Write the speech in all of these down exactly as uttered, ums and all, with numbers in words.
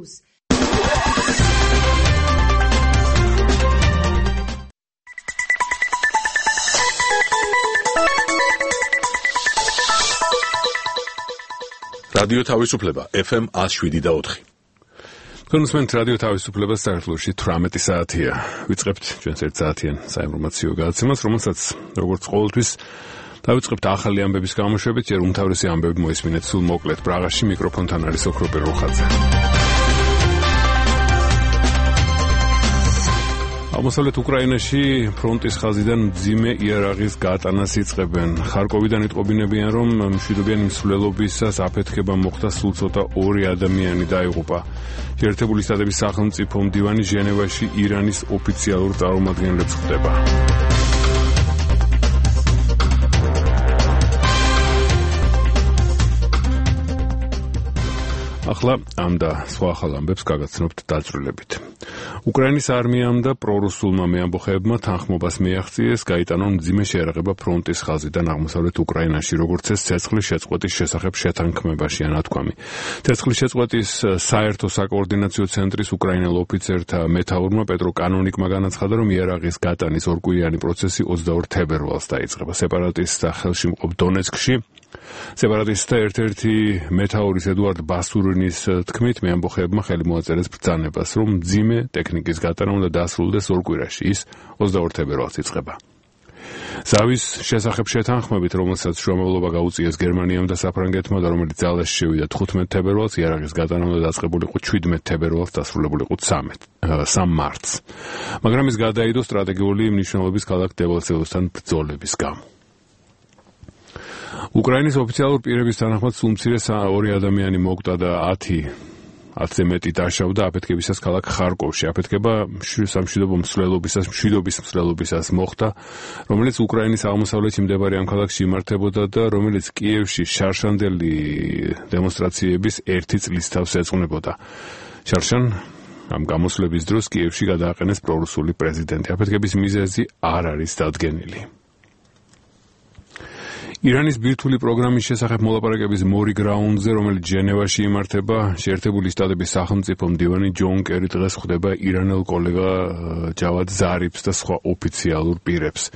Plus. რადიო თავისუფლება ეფ ემ one oh seven და four. კონსმენტ რადიო თავისუფლებას საქართველოში თვრამეტი საათია. ვიწყებთ ჩვენს ერთ საათიან საინფორმაციო გადაცემას, რომელსაც როგორც ყოველთვის დავიწყებთ ახალი ამბების გამოშვებით, ჯერ უმთავრესი ამბები მოისმინეთ სულ მოკლედ. პრაღაში მიკროფონთან არის ოქროპე როხაძე. აღმოსავლეთ უკრაინაში ფრონტის ხაზიდან მძიმე იარაღის გატანას იწყებენ. ხარკოვიდან იტყობინებიან, რომ მშვიდობიანი მსვლელობისას აფეთქება მოხდა, სულ ცოტა ორი ადამიანი დაიღუპა. შეერთებული შტატების სახელმწიფო მდივანი ჟენევაში ირანის ოფიციალურ წარმომადგენლებს ხვდება. ახლა ამ და სხვა ახალ ამბებს გაგაცნობთ დაწვრილებით. უკრაინის არმიამ და პრორუსულმა მეამბოხეებმა თანხმობას მიაღწიეს, გაიტანონ მძიმე შეიარაღება ფრონტის ხაზიდან აღმოსავლეთ უკრაინაში, როგორც ეს ცეცხლის შეწყვეტის შესახებ შეთანხმებაშია ნათქვამი. ცეცხლის შეწყვეტის საერთო საკოორდინაციო ცენტრის უკრაინელ ოფიცერთა მეთაურმა პეტრო კანონიკმა განაცხადა, რომ იარაღის გატანის ორკვირიანი პროცესი ოცდაორ თებერვალს დაიწყება. სეპარატისტთა ხელშემწყობ დონეცკში სეპარატისტთა ერთ-ერთი მეთაურის ედუარდ ბასურინის თქმით, მეამბოხეებმა ხელი მოაწერეს ბრძანებას, რომ მძიმე ტექნიკის გატანა უნდა დასრულდეს ორ კვირაში, ის ოცდაორ თებერვალს იწყება. ზავის შესახებ შეთანხმებით, რომელსაც შუამავლობა გაუწიეს გერმანიამ და საფრანგეთმა და რომელიც ძალაში შევიდა თხუთმეტ თებერვალს, იარაღის გატანა უნდა დაწყებულიყო შვიდმეტ თებერვალს, დასრულებულიყო სამ მარტს. მაგრამ ის გადაიდო სტრატეგიული მნიშვნელობის ქალაქ დებალცევოსთან ბრძოლების გამო. უკრაინის ოფიციალურ პირების თანახმად სულ მცირე ორი ადამიანი მოკვდა და ათზე მეტი დაშავდა აფეთქებისას ქალაქ ხარკოვში. აფეთქება სამშვიდობო მსვლელობისას, მშვიდობის მსვლელობისას მოხდა, რომელიც უკრაინის აღმოსავლეთში მდებარე ამ ქალაქში იმართებოდა და რომელიც კიევში შარშანდელი დემონსტრაციების ერთი წლის თავს ეძღვნებოდა. შარშან ამ გამოსვლების დროს კიევში გადააყენეს პრორუსული პრეზიდენტი. აფეთქების მიზეზი არ არის დადგენილი. ირანის ბირთვული პროგრამის შესახებ მოლაპარაკების მორიგ რაუნდზე, რომელიც ჟენევაში იმართება, შეერთებული შტატების სახელმწიფო მდივანი ჯონ კერი დღეს ხვდება ირანელ კოლეგა ჯავად ზარიფს და სხვა ოფიციალურ პირებს.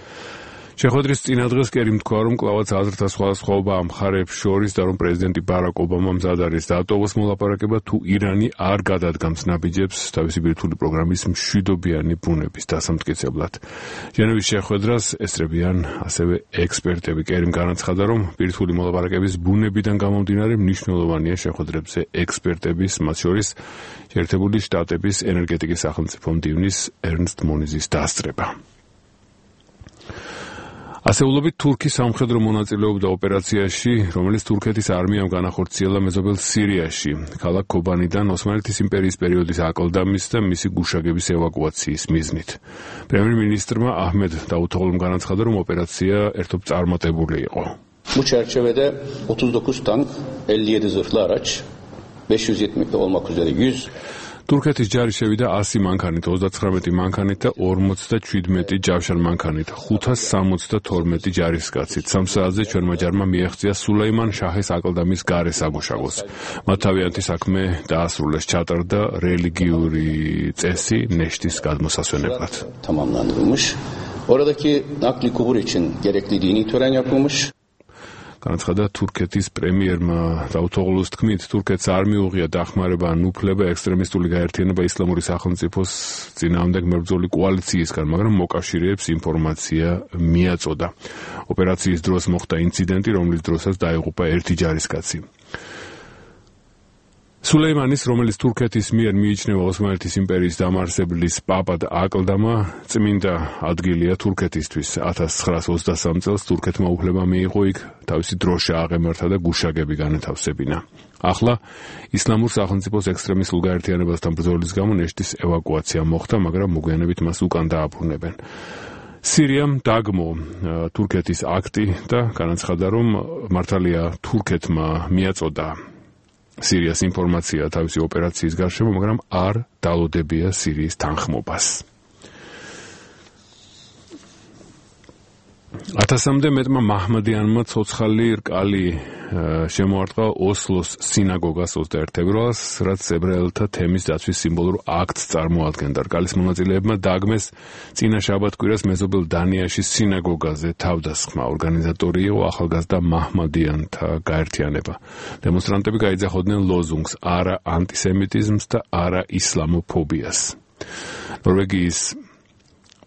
შეხვედრის წინა დღეს კერიმ თქვა, რომ კვლავაც აზრთა სხვადასხვაობა ამ მხარეებს შორის და რომ პრეზიდენტი ბარაკ ობამა მზად არის დაატოვოს მოლაპარაკება, თუ ირანი არ გადადგამს ნაბიჯებს თავისი ბირთვული პროგრამის მშვიდობიანი ბუნების დასამტკიცებლად. ჟენევის შეხვედრას ესწრებიან ასევე ექსპერტები. კერიმ განაცხადა, რომ ბირთვული მოლაპარაკების ბუნებიდან გამომდინარე მნიშვნელოვანია შეხვედრებზე ექსპერტების, მათ შორის შეერთებული შტატების ენერგეტიკის სახელმწიფო მდივნის ერნსტ მონიზის დასწრება. ასეულობით თურქი სამხედრო მონაწილეობდა ოპერაციაში, რომელიც თურქეთის არმიამ განახორციელა მეზობელ სირიაში, ქალაქ ქობანიდან ოსმალეთის იმპერიის პერიოდის აკლდამის და მისი გუშაგების ევაკუაციის მიზნით. პრემიერ-მინისტრმა აჰმედ დაუთოღლუმ განაცხადა, რომ ოპერაცია ერთობ წარმატებული იყო. Bu çerçevede otuz dokuz tank, elli yedi zırhlı araç, beş yüz yetmiş olmak üzere yüz თურქეთის ჯარი შევიდა ასი მანქანით, ოცდაცხრამეტი მანქანით და ორმოცდაშვიდმეტი ჯავშან მანქანით, ხუთას სამოცდათორმეტი ჯარისკაცით. სამ საათზე ჩვენმა ჯარმა მიაღწია სულეიმან შაჰის აკლდამის გარე სამუშაოს. მათ თავიანთი საქმე დაასრულეს, ჩატარდა რელიგიური წესი ნეშტის გადმოსასვენებლად. Tamamlandırılmış. Oradaki nakli kubur için gerekli dini tören yapılmış. განაცხადა თურქეთის პრემიერმა დაუთოღლუს თქმით, თურქეთს არ მიუღია დახმარება ან უფლება ექსტრემისტული გაერთიანება ისლამური სახელმწიფოს წინააღმდეგ მებრძოლი კოალიციისგან, მაგრამ მოკავშირეებს ინფორმაცია მიაწოდა. ოპერაციის დროს მოხდა ინციდენტი, რომლის დროსაც დაიღუპა ერთი ჯარისკაცი. სულეიმანის, რომელიც თურქეთის მიერ მიიჩნევა ოსმალეთის იმპერიის დამაარსებლის პაპად აკლდამა, წმინდა ადგილია თურქეთისთვის. ათას ცხრაას ოცდასამ წელს თურქეთმა უფლება მიიღო იქ თავისი დროშა აღემართა და გუშაგები განათავსებინა. ახლა ისლამურ სახელმწიფოს ექსტრემისტულ გაერთიანებასთან ბრძოლის გამო ნეშტის ევაკუაცია მოხდა, მაგრამ მოგვიანებით მას უკან დააბრუნებენ. სირიამ დაგმო თურქეთის აქტი და განაცხადა, რომ მართალია თურქეთმა მიაწოდა სირიას ინფორმაცია თავისი ოპერაციის გარშემო, მაგრამ არ დალოდებია სირიის თანხმობას. ათასამდე მეტმა მაჰმადიანმა ცოცხალი რკალი შემოარტყა ოსლოს სინაგოგას ოცდაერთი ფევრალს, რაც ებრაელთა თემის დაცვის სიმბოლურ აქტს წარმოადგენდა. რკალის მონაწილეებმა დაგმეს წინა შაბათ-კვირას მეზობელ დანიაში სინაგოგაზე თავდასხმა. ორგანიზატორი იყო ახალგაზრდა მაჰმადიანთა გაერთიანება. დემონსტრანტები გაიძახოდნენ ლოზუნგს არა ანტისემიტიზმს და არა ისლამოფობიას. ნორვეგიის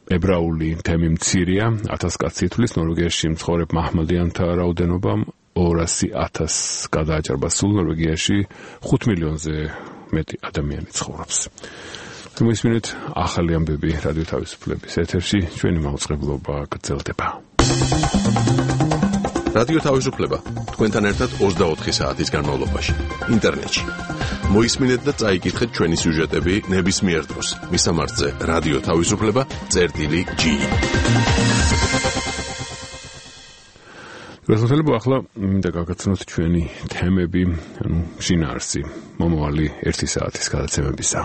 ებრაული თემი მცირეა, ათას კაცი ითვლის. ნორვეგიაში მცხოვრებ მაჰმადიანთა რაოდენობამ ორასი ათასს გადააჭარბა. სულ ნორვეგიაში ხუთ მილიონზე მეტი ადამიანი ცხოვრობს. მოისმინეთ ახალი ამბები რადიო თავისუფლების ეთერში, ჩვენი მაუწყებლობა გრძელდება. რადიო თავისუფლება თქვენთან ერთად ოცდაოთხი საათის განმავლობაში ინტერნეტში. მოისმინეთ და წაიკითხეთ ჩვენი სიუჟეტები ნებისმიერ დროს. მისამართზე რადიო თავისუფლება წერტილი ჯი. გასაგებია ახლა მინდა გაგაცნოთ ჩვენი თემები, ანუ შინაარსი, მომავალი ერთი საათის გადაცემებისა.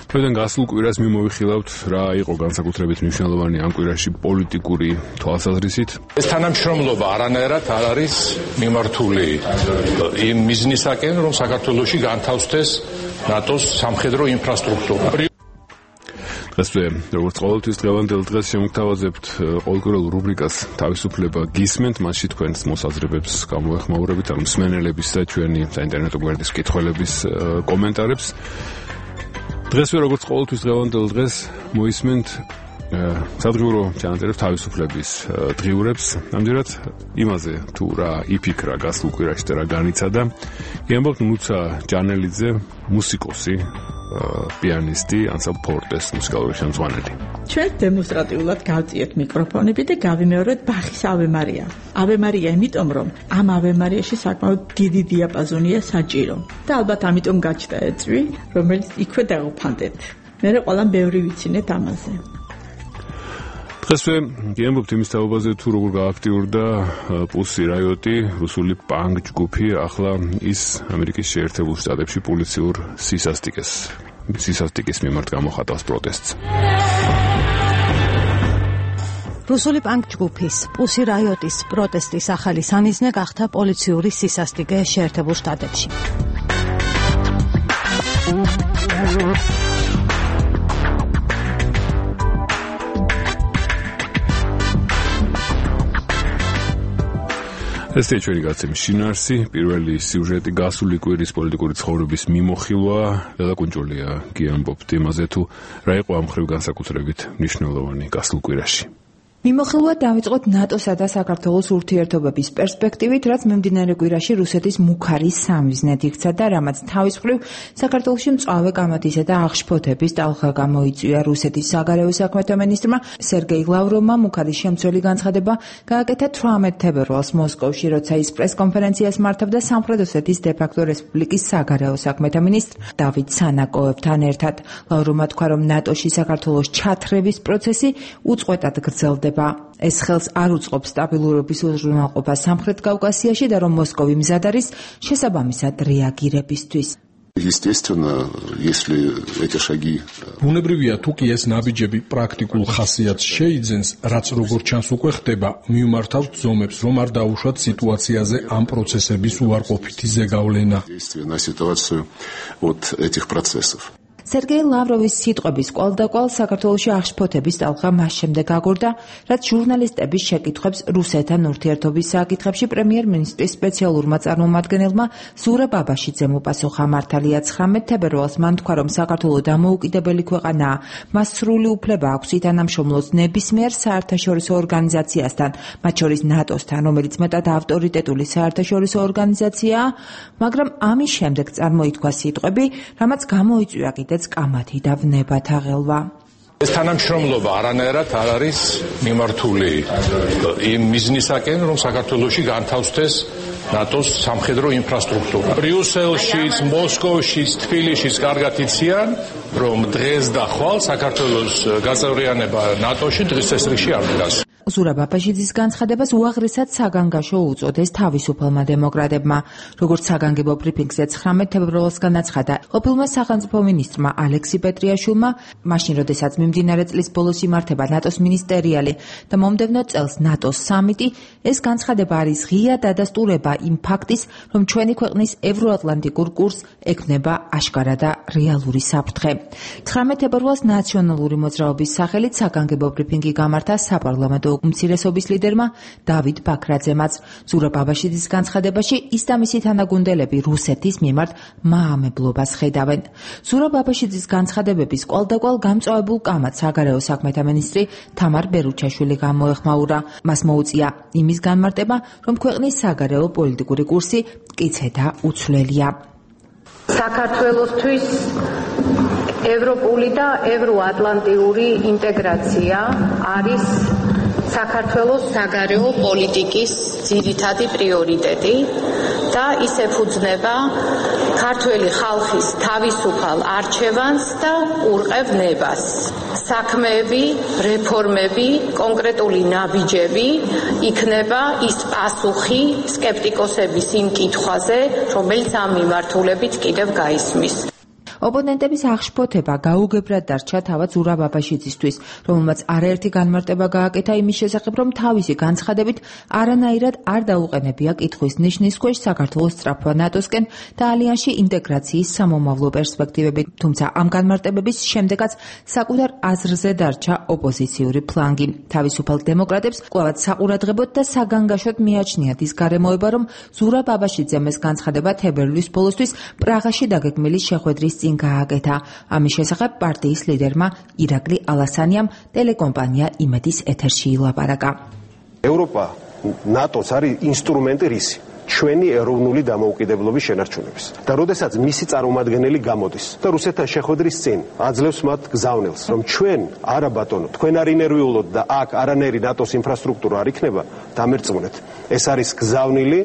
ჩვენ გასულ კვირას მიმოვიხილავთ რა იყო განსაკუთრებით მნიშვნელოვანი ამ კვირაში პოლიტიკური თვალსაზრისით. ეს თანამშრომლობა არანაირად არ არის მიმართული იმ მიზნისაკენ, რომ საქართველოში განთავსდეს ნატოს სამხედრო ინფრასტრუქტურა. დღესვე, როგორც ყოველთვის დღევანდელ დღეს შემოგთავაზებთ ყოველკვირეულ რუბრიკას თავისუფლება გისმენთ, მასში თქვენს მოსაზრებებს გამოეხმაურებით, ანუ მსმენელების და ჩვენი საინტერნეტო გვერდის მკითხველების კომენტარებს. დღესვე, როგორც ყოველთვის დღევანდელ დღეს მოისმენთ სადღიურო ჩანაწერებს თავისუფლების დღიურებს. ამჯერად იმაზე თუ რა იფიქრა გასულ კვირაში და რა განიცადა, იამბობთ ნუცა ჯანელიძე, მუსიკოსი, პიანისტი, ანსამბლ ფორტეს მუსიკალური ხელმძღვანელი. ჩვენ დემონსტრატიულად გავწიეთ მიკროფონები და გავიმეორეთ ბახის ავე მარია. ავე მარია იმიტომ, რომ ამ ავე მარიაში საკმაოდ დიდი დიაპაზონია საჭირო. და ალბათ ამიტომ გაჩნდა ეწვი, რომელიც იქვე დავუფანდეთ. მე ყველამ ბევრი ვიცინეთ ამაზე. დღესვე გიამბობთ იმის თაობაზე თუ როგორ გააქტიურდა პუსი რაიოტი, რუსული პანკ ჯგუფი, ახლა ის ამერიკის შეერთებულ შტატებში პოლიციურ სისასტიკეს სისასტიკის მიმართ გამოხატავს პროტესტს. რუსული პანკ ჯგუფის პუსი რაიოტის პროტესტის ახალი სამიზნე გახდა პოლიციური სისასტიკე შეერთებულ შტატებში. ესეთი ჩვენი გაცემის შინაარსი, პირველი სიუჟეტი გასული კვირის პოლიტიკური ცხოვრების მიმოხილვა, დადაკუნჭულია გიამბობთ იმაზე თუ რა იყო ამ მხრივ განსაკუთრებით მნიშვნელოვანი გასულ კვირაში. მიმოხილვა დავიწყოთ ნატოსა და საქართველოს ურთიერთობების პერსპექტივით, რაც მიმდინარე კვირაში რუსეთის მუქარის სამიზნედ იქცა და რამაც თავის მხრივ საქართველოში მწვავე კამათისა და აღშფოთების ტალღა გამოიწვია. რუსეთის საგარეო საქმეთა მინისტრმა სერგეი ლავროვმა მუქარის შემცველი განცხადება გააკეთა თვრამეტ თებერვალს მოსკოვში, როცა ის პრესკონფერენციას მართავდა სამხრეთ ოსეთის დე-ფაქტო რესპუბლიკის საგარეო საქმეთა მინისტრ დავით სანაკოევთან ერთად. ლავროვმა თქვა, რომ ნატოში საქართველოს ჩათრევის პროცესი უწყვეტად გრძელდება. ეს ხელს არ უწყობს სტაბილურობის უზრუნველყოფას სამხრეთ კავკასიაში და რომ მოსკოვი მზად არის შესაბამისად რეაგირებისთვის. Естественно, если эти шаги ბუნებრივია თუ კი ეს ნაბიჯები პრაქტიკულ ხასიათს შეიძენს, რაც როგორც ჩანს უკვე ხდება, მიმართავთ ზომებს, რომ არ დაუშვათ სიტუაციაზე ამ პროცესების უარყოფითი ზეგავლენა. на ситуацию от этих процессов. სერგეი ლავროვის სიტყვების კვალდაკვალ საქართველოში აღშფოთების ტალღა მას შემდეგ აგორდა, რაც ჟურნალისტების შეკითხვებს რუსეთთან ურთიერთობის საკითხებში პრემიერ-მინისტრის სპეციალურმა წარმომადგენელმა ზურაბ აბაშიძემ უპასუხა. მართალია ცხრამეტ თებერვალს მან თქვა, რომ საქართველო დამოუკიდებელი ქვეყანაა, მას სრული უფლება აქვს ითანამშრომლოს ნებისმიერ საერთაშორისო ორგანიზაციასთან, მათ შორის ნატოსთან, რომელიც მეტად ავტორიტეტული საერთაშორისო ორგანიზაციაა, მაგრამ ამის შემდეგ წარმოითქვა სიტყვები, რამაც გამოიწვია კიდე კამათი და ვნებათა ღელვა. ეს თანამშრომლობა არანაირად არ არის მიმართული იმ მიზნისაკენ, რომ საქართველოში განთავსდეს ნატოს სამხედრო ინფრასტრუქტურა. ბრიუსელშიც, მოსკოვშიც, თბილისშიც კარგად იციან, რომ დღეს და ხვალ საქართველოს გაწევრიანება ნატოში დღის წესრიგში არ დგას. ზურაბ აბაშიძის განცხადებას უაღრესად საგანგაშო უწოდეს თავისუფალმა დემოკრატებმა. როგორც საგანგებო ბრიფინგზე ცხრამეტ თებერვალს განაცხადა ყოფილმა სახელმწიფო მინისტრმა ალექსი პეტრიაშვილმა, მაშინ როდესაც მიმდინარე წლის ბოლოს იმართება ნატოს მინისტერიალი და მომდევნო წელს ნატოს სამიტი, ეს განცხადება არის ღია დადასტურება იმ ფაქტის, რომ ჩვენი ქვეყნის ევროატლანტიკურ კურსს ექმნება აშკარა და რეალური საფრთხე. ცხრამეტ თებერვალს ნაციონალური მოძრაობის სახელით საგანგებო ბრიფინგი გამართა საპარლამენტო უმცირესობის ლიდერმა დავით ბაქრაძემაც. ზურაბ აბაშიძის განცხადებაში ის და მისი თანაგუნდელები რუსეთის მიმართ მაამებლობას ხედავენ. ზურაბ აბაშიძის განცხადებების კვალდაკვალ გამწვავებულ კამათს საგარეო საქმეთა მინისტრი თამარ ბერუჩაშვილი გამოეხმაურა. მას მოუწია იმის განმარტება, რომ ქვეყნის საგარეო პოლიტიკური კურსი მტკიცე და უცვლელია. საქართველოსთვის ევროპული და ევროატლანტიური ინტეგრაცია არის საქართველოს საგარეო პოლიტიკის ძირითადი პრიორიტეტი და ის ეფუძნება ქართველი ხალხის თავისუფალ არჩევანს და ყურყევნებას. საქმეები, რეფორმები, კონკრეტული ნაბიჯები იქნება ის პასუხი სკეპტიკოსების იმ კითხვაზე, რომელიც ამ მიმართულებით კიდევ გაისმის. ოპონენტების აღშფოთება გაუგებრად დარჩა თავად ზურაბ აბაშიძისთვის, რომელმაც არაერთი განმარტება გააკეთა იმის შესახებ, რომ თავისი განცხადებით არანაირად არ დაუყენებია კითხვის ნიშნის ქვეშ საქართველოს სწრაფვა ნატოსკენ და ალიანსში ინტეგრაციის სამომავლო პერსპექტივები, თუმცა ამ განმარტებების შემდეგაც საკუთარ აზრზე დარჩა ოპოზიციური ფლანგი. თავისუფალ დემოკრატებს კვლავაც საყურადღებოდ და საგანგაშოდ მიაჩნიათ ის გარემოება, რომ ზურაბ აბაშიძემ ეს განცხადება თებერვლის ბოლოსთვის პრაღაში დაგეგმილი შეხვედრის წინ გააკეთა. ამის შესახებ პარტიის ლიდერმა ირაკლი ალასანიამ ტელეკომპანია იმედის ეთერში ილაპარაკა. ევროპა ნატოს არის ინსტრუმენტი რისი? ჩვენი ეროვნული დამოუკიდებლობის შენარჩუნების. და როდესაც მისი წარმომადგენელი გამოდის და რუსეთთან შეხვედრის წინ აძლევს მათ გზავნილს, რომ ჩვენ არა ბატონო, თქვენ არ ინერვიულოთ და აქ არანაირი ნატოს ინფრასტრუქტურა არ იქნება, დამერწმუნეთ. ეს არის გზავნილი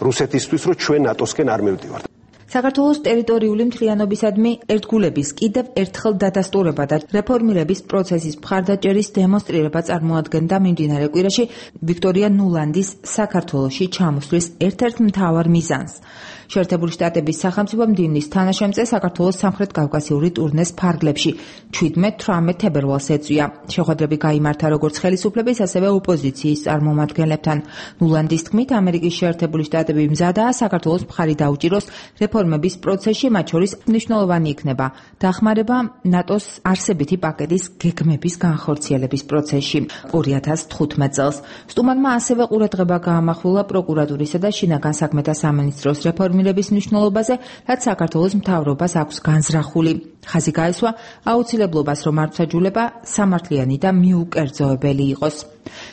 რუსეთისთვის, რომ ჩვენ ნატოსკენ არ მივდივართ. საქართველოს ტერიტორიული მთლიანობისადმი ერთგულების კიდევ ერთხელ დადასტურება და რეფორმირების პროცესის მხარდაჭერის დემონსტრირება წარმოადგენდა მიმდინარე კვირაში ვიქტორია ნულანდის საქართველოში ჩამოსვლის ერთ-ერთ მთავარ მიზანს. შეერთებული შტატების სახელმწიფო მდივნის თანაშემწე საქართველოს სამხრეთ კავკასიური ტურნეს ფარგლებში შვიდმეტ თვრამეტ თებერვალს ეწვია. შეხვედრები გაიმართა როგორც ხელისუფლების, ასევე ოპოზიციის წარმომადგენლებთან. ნულანდის თქმით, ამერიკის შეერთებული შტატები მზადაა საქართველოს მხარი დაუჭიროს რეფორმების პროცესში, მათ შორის მნიშვნელოვანი იქნება დახმარება ნატოს არსებითი პაკეტის გეგმების განხორციელების პროცესში. ორი ათას თხუთმეტ წელს სტუმარმა ასევე ყურადღება გაამახვილა პროკურატურისა და შინაგან საქმეთა სამინისტროს რეფორმირების მნიშვნელობაზე, რაც საქართველოს მთავრობას აქვს განზრახული. ხაზი გაესვა აუცილებლობას, რომ მართლმსაჯულება სამართლიანი და მიუკერძოებელი იყოს.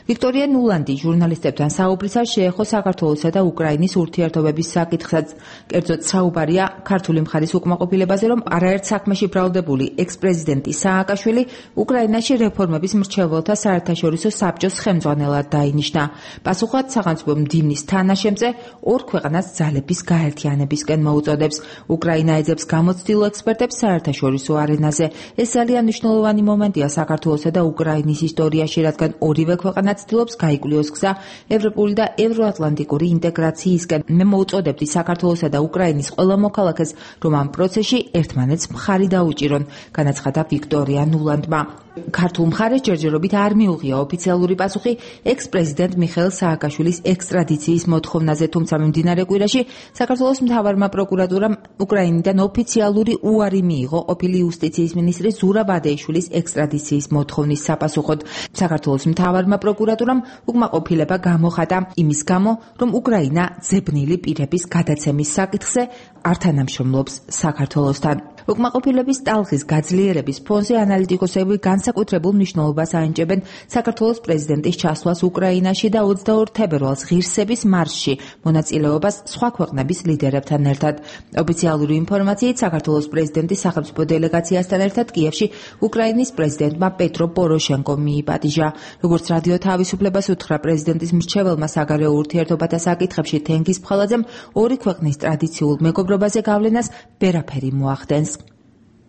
ვიქტორია ნულანდი ჟურნალისტებთან საუბრისას შეეხო საქართველოსა და უკრაინის ურთიერთობების საკითხსაც. კერძოდ საუბარია ქართული მხარის უკმაყოფილებაზე, რომ არაერთ საქმეში ბრალდებული ექს-პრეზიდენტი სააკაშვილი უკრაინაში რეფორმების მრჩეველთა საერთაშორისო საბჭოს ხელმძღვანელად დაინიშნა. პასუხად სახელმწიფო მდივნის თანაშემწე ორ ქვეყანას ძალების გაერთიანებისკენ მოუწოდებს. უკრაინა ეძებს გამოცდილ ექსპერტებს საერთაშორისო არენაზე. ეს ძალიან მნიშვნელოვანი მომენტია საქართველოსა და უკრაინის ისტორიაში, რადგან ორივე ქვეყანა ცდილობს გაიკვლიოს გზა ევროპული და ევროატლანტიკური ინტეგრაციისკენ. მე მოუწოდებდი საქართველოსა და უკრაინის ყველა მოქალაქეს, რომ ამ პროცესში ერთმანეთს მხარი დაუჭირონ, განაცხადა ვიქტორია ნულანდმა. ქართულ მხარეს ჯერჯერობით არ მიუღია ოფიციალური პასუხი ექს-პრეზიდენტ მიხეილ სააკაშვილის ექსტრადიციის მოთხოვნაზე, თუმცა მიმდინარე კვირაში საქართველოს მთავარმა პროკურატურამ უკრაინიდან ოფიციალური უარი მიიღო ყოფილი იუსტიციის მინისტრი ზურაბ აბაშიძის ექსტრადიციის მოთხოვნის sapasუხოდ. საქართველოს მთავარმა პროკურატურამ უკმაყოფილება გამოხატა იმის გამო, რომ უკრაინა ძებნილი პირების გადაცემის საკითხზე არ თანამშრომლობს საქართველოსთან. უკმაყოფილების ტალღის გაძლიერების ფონზე ანალიტიკოსები განსაკუთრებულ მნიშვნელობას აენჭებენ საქართველოს პრეზიდენტის ჩასვლას უკრაინაში და ოცდაორ თებერვალს ღირსების მარშში მონაწილეობას სხვა ქვეყნების ლიდერებთან ერთად. ოფიციალური ინფორმაციით საქართველოს პრეზიდენტის სახელმწიფო დელეგაციასთან ერთად კიევში უკრაინის პრეზიდენტმა პეტრო პოროშენკომ მიიპატიჟა. როგორც რადიო თავისუფლებას უთხრა პრეზიდენტის მრჩეველმა საგარეო ურთიერთობათა საკითხებში თენგიზ ფხალაძემ, ორი ქვეყნის ტრადიციულ მეგობრობაზე გავლენას ვერაფერი მოახდენს.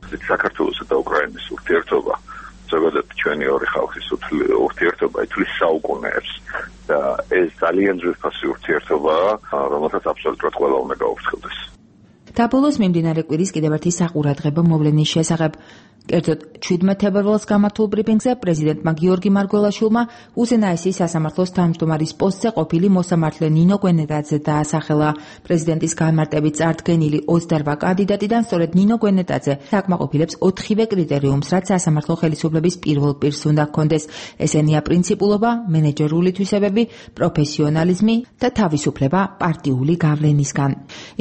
საქართველოსა და უკრაინის ურთიერთობა ზოგადად ჩვენი ორი ხალხის ურთიერთობა ითვლის საუკუნეებს და ეს ძალიან ძვირფასი ურთიერთობაა, რომელსაც აბსოლუტურად ყველა უნდა გაუფრთხილდეს. დაბოლოს მიმდინარე კვირის კიდევ ერთი საყურადღებო მოვლენის შესახებ. კერძოდ შვიდმეტ თებერვალს გამართულ ბრიფინგზე პრეზიდენტმა გიორგი მარგველაშვილმა უზენაესის სასამართლოს თავმჯდომარის პოსტზე ყოფილი მოსამართლე ნინო გვენეტაძე დაასახელა. პრეზიდენტის განმარტებით წარდგენილი ოცდაორ კანდიდატიდან სწორედ ნინო გვენეტაძე საკმაყოფილებს ოთხივე კრიტერიუმს, რაც სასამართლო ხელისუფლების პირველ პირს უნდა ჰქონდეს. ესენია პრინციპულობა, მენეჯერული თვისებები, პროფესიონალიზმი და თავისუფლება პარტიული გავლენისგან.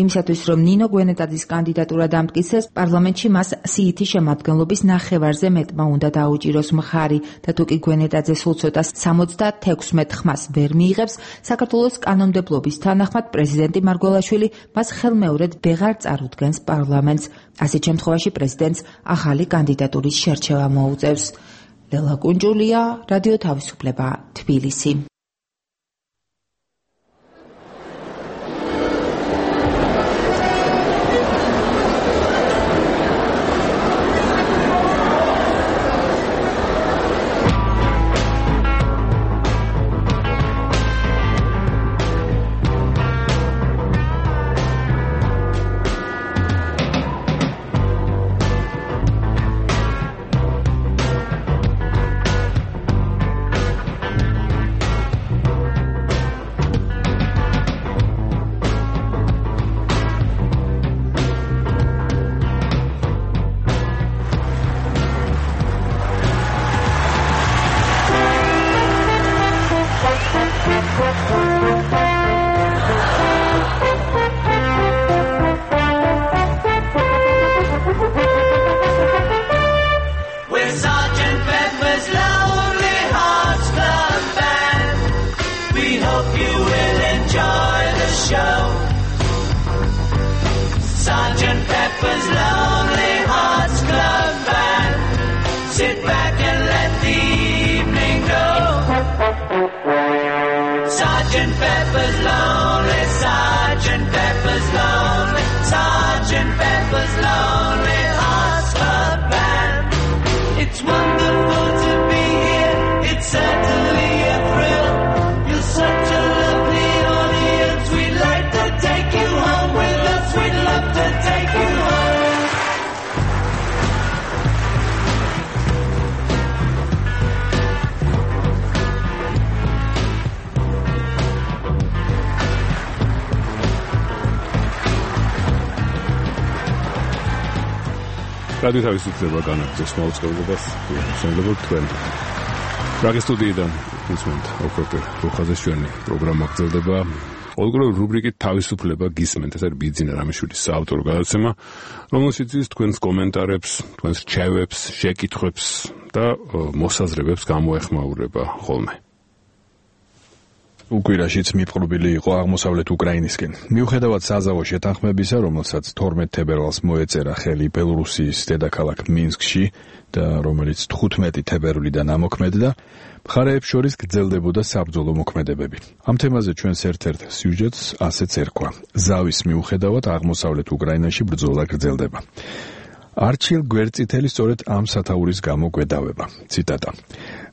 იმისათვის, რომ ნინო გვენეტაძის კანდიდატურა დამტკიცდეს, პარლამენტში მას სიითი შემადგენლობა ნახევარზე მეტმა უნდა დაუჭიროს მხარი და თუ კი გვენეტაძე სულ ცოტა სამოცდათექვსმეტ ხმას ვერ მიიღებს, საქართველოს კანონმდებლობის თანახმად პრეზიდენტი მარგველაშვილი მას ხელმეორედ ვეღარ წარუდგენს პარლამენტს. ასეთ შემთხვევაში პრეზიდენტს ახალი კანდიდატურის შერჩევა მოუწევს. ლელა კუნჯულია, რადიო თავისუფლება, თბილისი. Sergeant Pepper's Lonely, Sergeant Pepper's Lonely, Sergeant Pepper's Lonely Hearts Club Band. It's wonderful to be here, it's certainly a thrill. You're such a lovely audience, we'd like to take you home with us, we'd love to take you home. რადიო თავისუფლება განაგრძობს მოუწყებლობას შემოგვიყვება თქვენ. პრაღის სტუდიიდან ისმენთ ოქროპერ რუხაზეს ჩვენი პროგრამა გრძელდება. ყოველგვარი რუბრიკით თავისუფლება გისმენთ, ეს არის ბიძინა რამიშვილის საავტორო გადაცემა, რომელშიც ის თქვენს კომენტარებს, თქვენს რჩევებს, შეკითხვებს და მოსაზრებებს გამოეხმაურება ხოლმე. უკვირაშიც მიპყრობილი იყო აღმოსავლეთ უკრაინისკენ. მიუხედავად საზავო შეთანხმებისა, რომელსაც თორმეტ თებერვალს მოეწერა ხელი ბელორუსიის დედაქალაქ მინსკში და რომელიც თხუთმეტი თებერვლიდან ამოქმედდა, მხარეებს შორის გრძელდებოდა საბრძოლო მოქმედებები. ამ თემაზე ჩვენს ერთ-ერთ სიუჟეტს ასეც ერქვა. ზავის მიუხედავად აღმოსავლეთ უკრაინაში ბრძოლა გრძელდება. არჩილ გვერდწითელი სწორედ ამ სათაურის გამო გვედავება. ციტატა.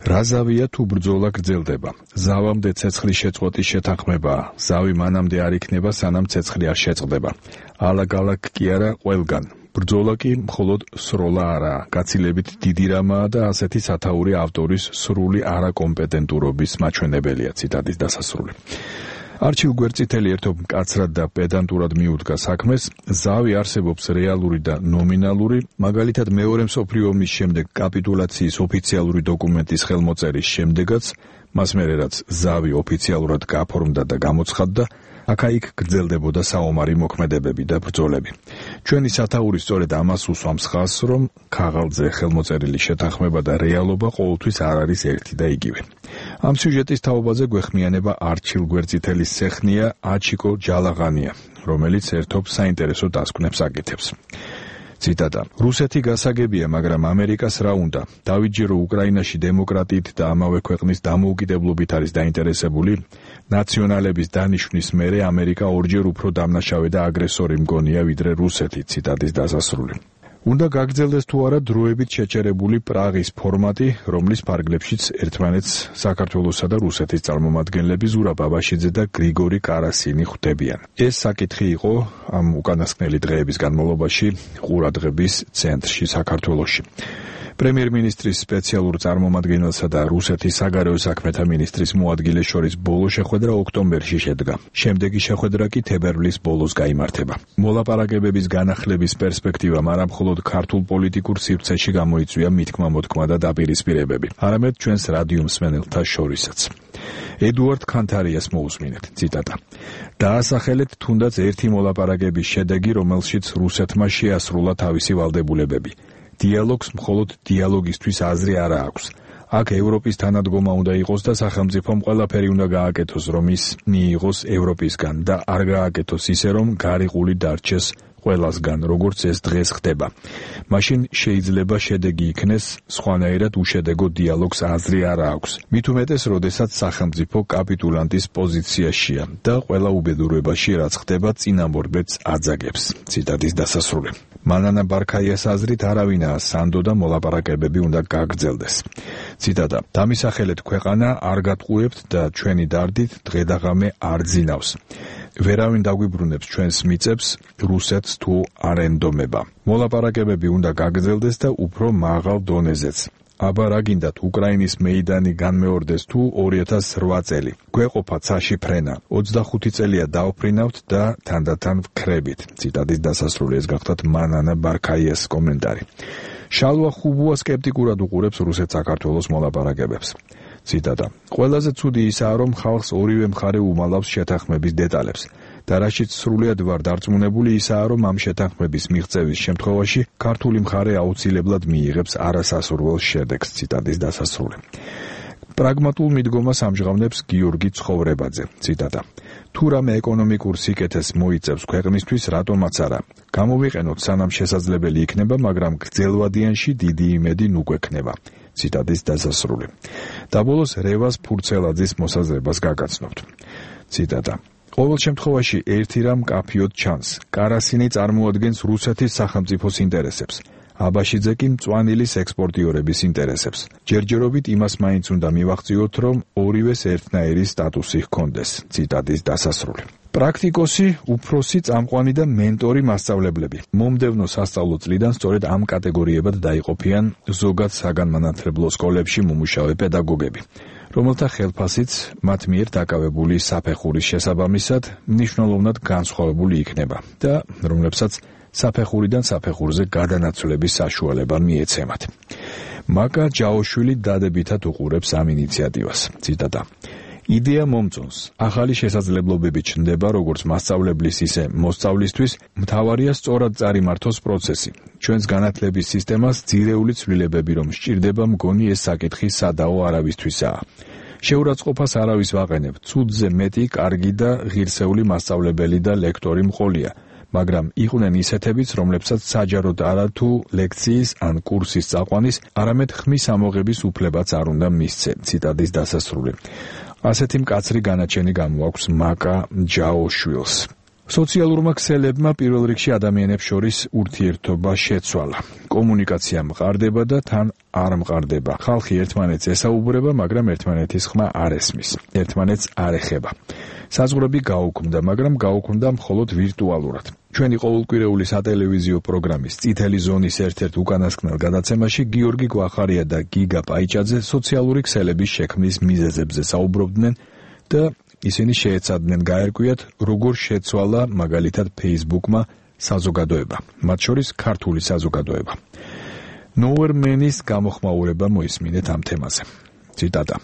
რა ზავია თუ ბრძოლა გრძელდება? ზავამდე ცეცხლის შეწყვეტის შეთანხმებაა. ზავი მანამდე არ იქნება, სანამ ცეცხლი არ შეწყდება. ალაგ-ალაგ კი არა, ყველგან. ბრძოლა კი მხოლოდ სროლა არაა, გაცილებით დიდი რამაა და ასეთი სათაური ავტორის სრული არაკომპეტენტურობის მაჩვენებელია. ციტატის დასასრული. არჩილ გვერდწითელი ერთობ მკაცრად და პედანტურად მიუდგა საქმეს. ზავი არსებობს რეალური და ნომინალური, მაგალითად მეორე მსოფლიო ომის შემდეგ კაპიტულაციის ოფიციალური დოკუმენტის ხელმოწერის შემდეგაც, მას მერე რაც ზავი ოფიციალურად გაფორმდა და გამოცხადდა, აქა-იქ გრძელდებოდა საომარი მოქმედებები და ბრძოლები. ჩვენი სათაური სწორედ ამას უსვამს ხაზს, რომ ქაღალდზე ხელმოწერილი შეთანხმება და რეალობა ყოველთვის არ არის ერთი და იგივე. ამ სიუჟეტის თაობაზე გვეხმიანება არჩილ გვერდწითელის სეხნია აჩიკო ჯალაღანია, რომელიც ერთობ საინტერესო დასკვნებს აკეთებს. ციტატა. რუსეთი გასაგებია, მაგრამ ამერიკას რა უნდა? დავიჯერო უკრაინაში დემოკრატიით და ამავე ქვეყნის დამოუკიდებლობით არის დაინტერესებული. ნაციონალების დანიშვნის მერე ამერიკა ორჯერ უფრო დამნაშავე და აგრესორი მგონია ვიდრე რუსეთი. ციტატის დასასრული. უნდა გაგრძელდეს თუ არა დროებით შეჩერებული პრაღის ფორმატი, რომლის ფარგლებშიც ერთმანეთს საქართველოსა და რუსეთის წარმომადგენლები ზურაბ აბაშიძე და გრიგორი კარასინი ხვდებიან. ეს საკითხი იყო ამ უკანასკნელი დღეების განმავლობაში ყურადღების ცენტრში საქართველოში. პრემიერ-მინისტრის სპეციალურ წარმომადგენელსა და რუსეთის საგარეო საქმეთა მინისტრის მოადგილეს შორის ბოლო შეხვედრა ოქტომბერში შედგა. შემდეგი შეხვედრა კი თებერვლის ბოლოს გაიმართება. მოლაპარაკებების განახლების პერსპექტივამ არა მხოლოდ ქართულ პოლიტიკურ სივრცეში გამოიწვია მithქმა-მოთქმა და დაპირისპირებები, არამედ ჩვენს რადიო მსმენელთა შორისაც. ედუარდ ქანთარიას მოусმინეთ, ციტატა. დაასახელეთ თუნდაც ერთი მოლაპარაკების შედეგი, რომელშიც რუსეთმა შეასრულა თავისი ვალდებულებები. დიალოგს მხოლოდ დიალოგისთვის აზრი არა აქვს. აქ ევროპის თანადგომა უნდა იყოს და სახელმწიფომ ყველაფერი უნდა გააკეთოს, რომ ის მიიღოს ევროპისგან და არ გააკეთოს ისე, რომ გარიყული დარჩეს ყველასგან, როგორც ეს დღეს ხდება. მაშინ შეიძლება შედეგი იქნეს, სხვანაირად უშედეგო დიალოგს აზრი არა აქვს. მით უმეტეს, როდესაც სახელმწიფო კაპიტულანტის პოზიციაშია და ყველა უბედურებაში, რაც ხდება, წინამორბედს აძაგებს. ციტატის დასასრული. მანანა ბარქაიას აზრით არავინაა სანდო და მოლაპარაკებები უნდა გაგრძელდეს. ციტატა. დამისახელეთ ქვეყანა არ გატყუებთ და ჩვენი დარდით დღედაღამე არ ძინავს. ვერავინ დაგვიბრუნებს ჩვენს მიწებს, რუსეთს თუ არ ენდომება. მოლაპარაკებები უნდა გაგრძელდეს და უფრო მაღალ დონეზეც. აბა რა გინდათ უკრაინის მეიდანი განმეორდეს თუ ორი ათას რვა წელი. გვეყოფა ცაში ფრენა. ოცდახუთი წელია დავფრინავთ და თანდათან ვქრებით. ციტატის დასასრული. ეს გახლავთ მანანა ბარქაიას კომენტარი. შალვა ხუბუა სკეპტიკურად უყურებს რუსეთ-საქართველოს მოლაპარაკებებს. ციტატა. ყველაზე ცუდი ისაა, რომ ხალხს ორივე მხარე უმალავს შეთანხმების დეტალებს. და რაშიც სრულიად ვარ დარწმუნებული ისაა, რომ ამ შეთანხმების მიღწევის შემთხვევაში ქართული მხარე აუცილებლად მიიღებს არასასურველ შედეგს. ციტატის დასასრული. პრაგმატულ მიდგომას ამჟღავნებს გიორგი ცხოვრებაძე. ციტატა. თუ რამე ეკონომიკურ სიკეთეს მოიწევს ქვეყნისთვის, რატომაც არა. გამოვიყენოთ სანამ შესაძლებელი იქნება, მაგრამ გრძელვადიანში დიდი იმედი ნუ გვექნება. ციტატის დასასრული. და ბოლოს რევას ფურცელაძის მოსაზრებას გაგაცნობთ. ციტატა. ყოველ შემთხვევაში ერთი რამ კაფიოდ ჩანს. კარასინი წარმოადგენს რუსეთის სახელმწიფოს ინტერესებს. აბაშიძე კი მწვანილის ექსპორტიორების ინტერესებს. ჯერჯერობით იმას მაინც უნდა მივახციოთ, რომ ორივეს ერთნაირი სტატუსი ჰქონდეს. ციტატის დასასრული. პრაქტიკოსი, უფროსი, წამყვანი და მენტორი მასწავლებლები. მომდევნო სასწავლო წლიდან სწორედ ამ კატეგორიებად დაიყოფიან ზოგად საგანმანათლებლო სკოლებში მომუშავე პედაგოგები, რომელთა ხელფასიც მათ მიერ დაკავებული საფეხურის შესაბამისად მნიშვნელოვნად განსხვავებული იქნება და რომლებსაც საფეხურიდან საფეხურზე გადანაცვლების საშუალება მიეცემათ. მაკა ჯაოშვილი დადებითად უყურებს ამ ინიციატივას. ციტატა. იდეა მომწონს. ახალი შესაძლებლობები ჩნდება როგორც მასწავლებლის, ისე მოსწავლისთვის, მთავარია სწორად წარიმართოს პროცესი. ჩვენს განათლების სისტემას ძირეული ცვლილებები რომ სჭირდება, მგონი ეს საკითხი სადაო არავისთვისაა. შეურაცხყოფას არავის ვაყენებ. ცუდზე მეტი კარგი და ღირსეული მასწავლებელი და ლექტორი მყოლია. მაგრამ იყვნენ ისეთებიც, რომლებსაც საჯაროდ არა თუ ლექციის ან კურსის წაყვანის, არამედ ხმის ამოღების უფლებაც არ უნდა მისცე. ციტატის დასასრული. ასეთი მკაცრი განაჩენი გამოაქვს მაკა ჯაოშვილს. სოციალურმა ქსელებმა პირველ რიგში ადამიანებს შორის ურთიერთობა შეცვალა. კომუნიკაცია მყარდება და თან არ მყარდება. ხალხი ერთმანეთს ესაუბრება, მაგრამ ერთმანეთის ხმა არ ესმის. ერთმანეთს არ ეხება. საზღვრები გაუქმდა, მაგრამ გაუქმდა მხოლოდ ვირტუალურად. ჩვენი ყოველკვირეული სატელევიზიო პროგრამის წითელი ზონის ერთ-ერთ უკანასკნელ გადაცემაში გიორგი გვახარია და გიგა პაიჭაძე სოციალური ქსელების შექმნის მიზეზებზე საუბრობდნენ და ისინი შეეცადნენ გაერკვიათ, როგორ შეცვალა მაგალითად Facebook-მა საზოგადოება, მათ შორის ქართული საზოგადოება. ნოერმენის გამოხმაურება მოისმინეთ ამ თემაზე. ციტატა.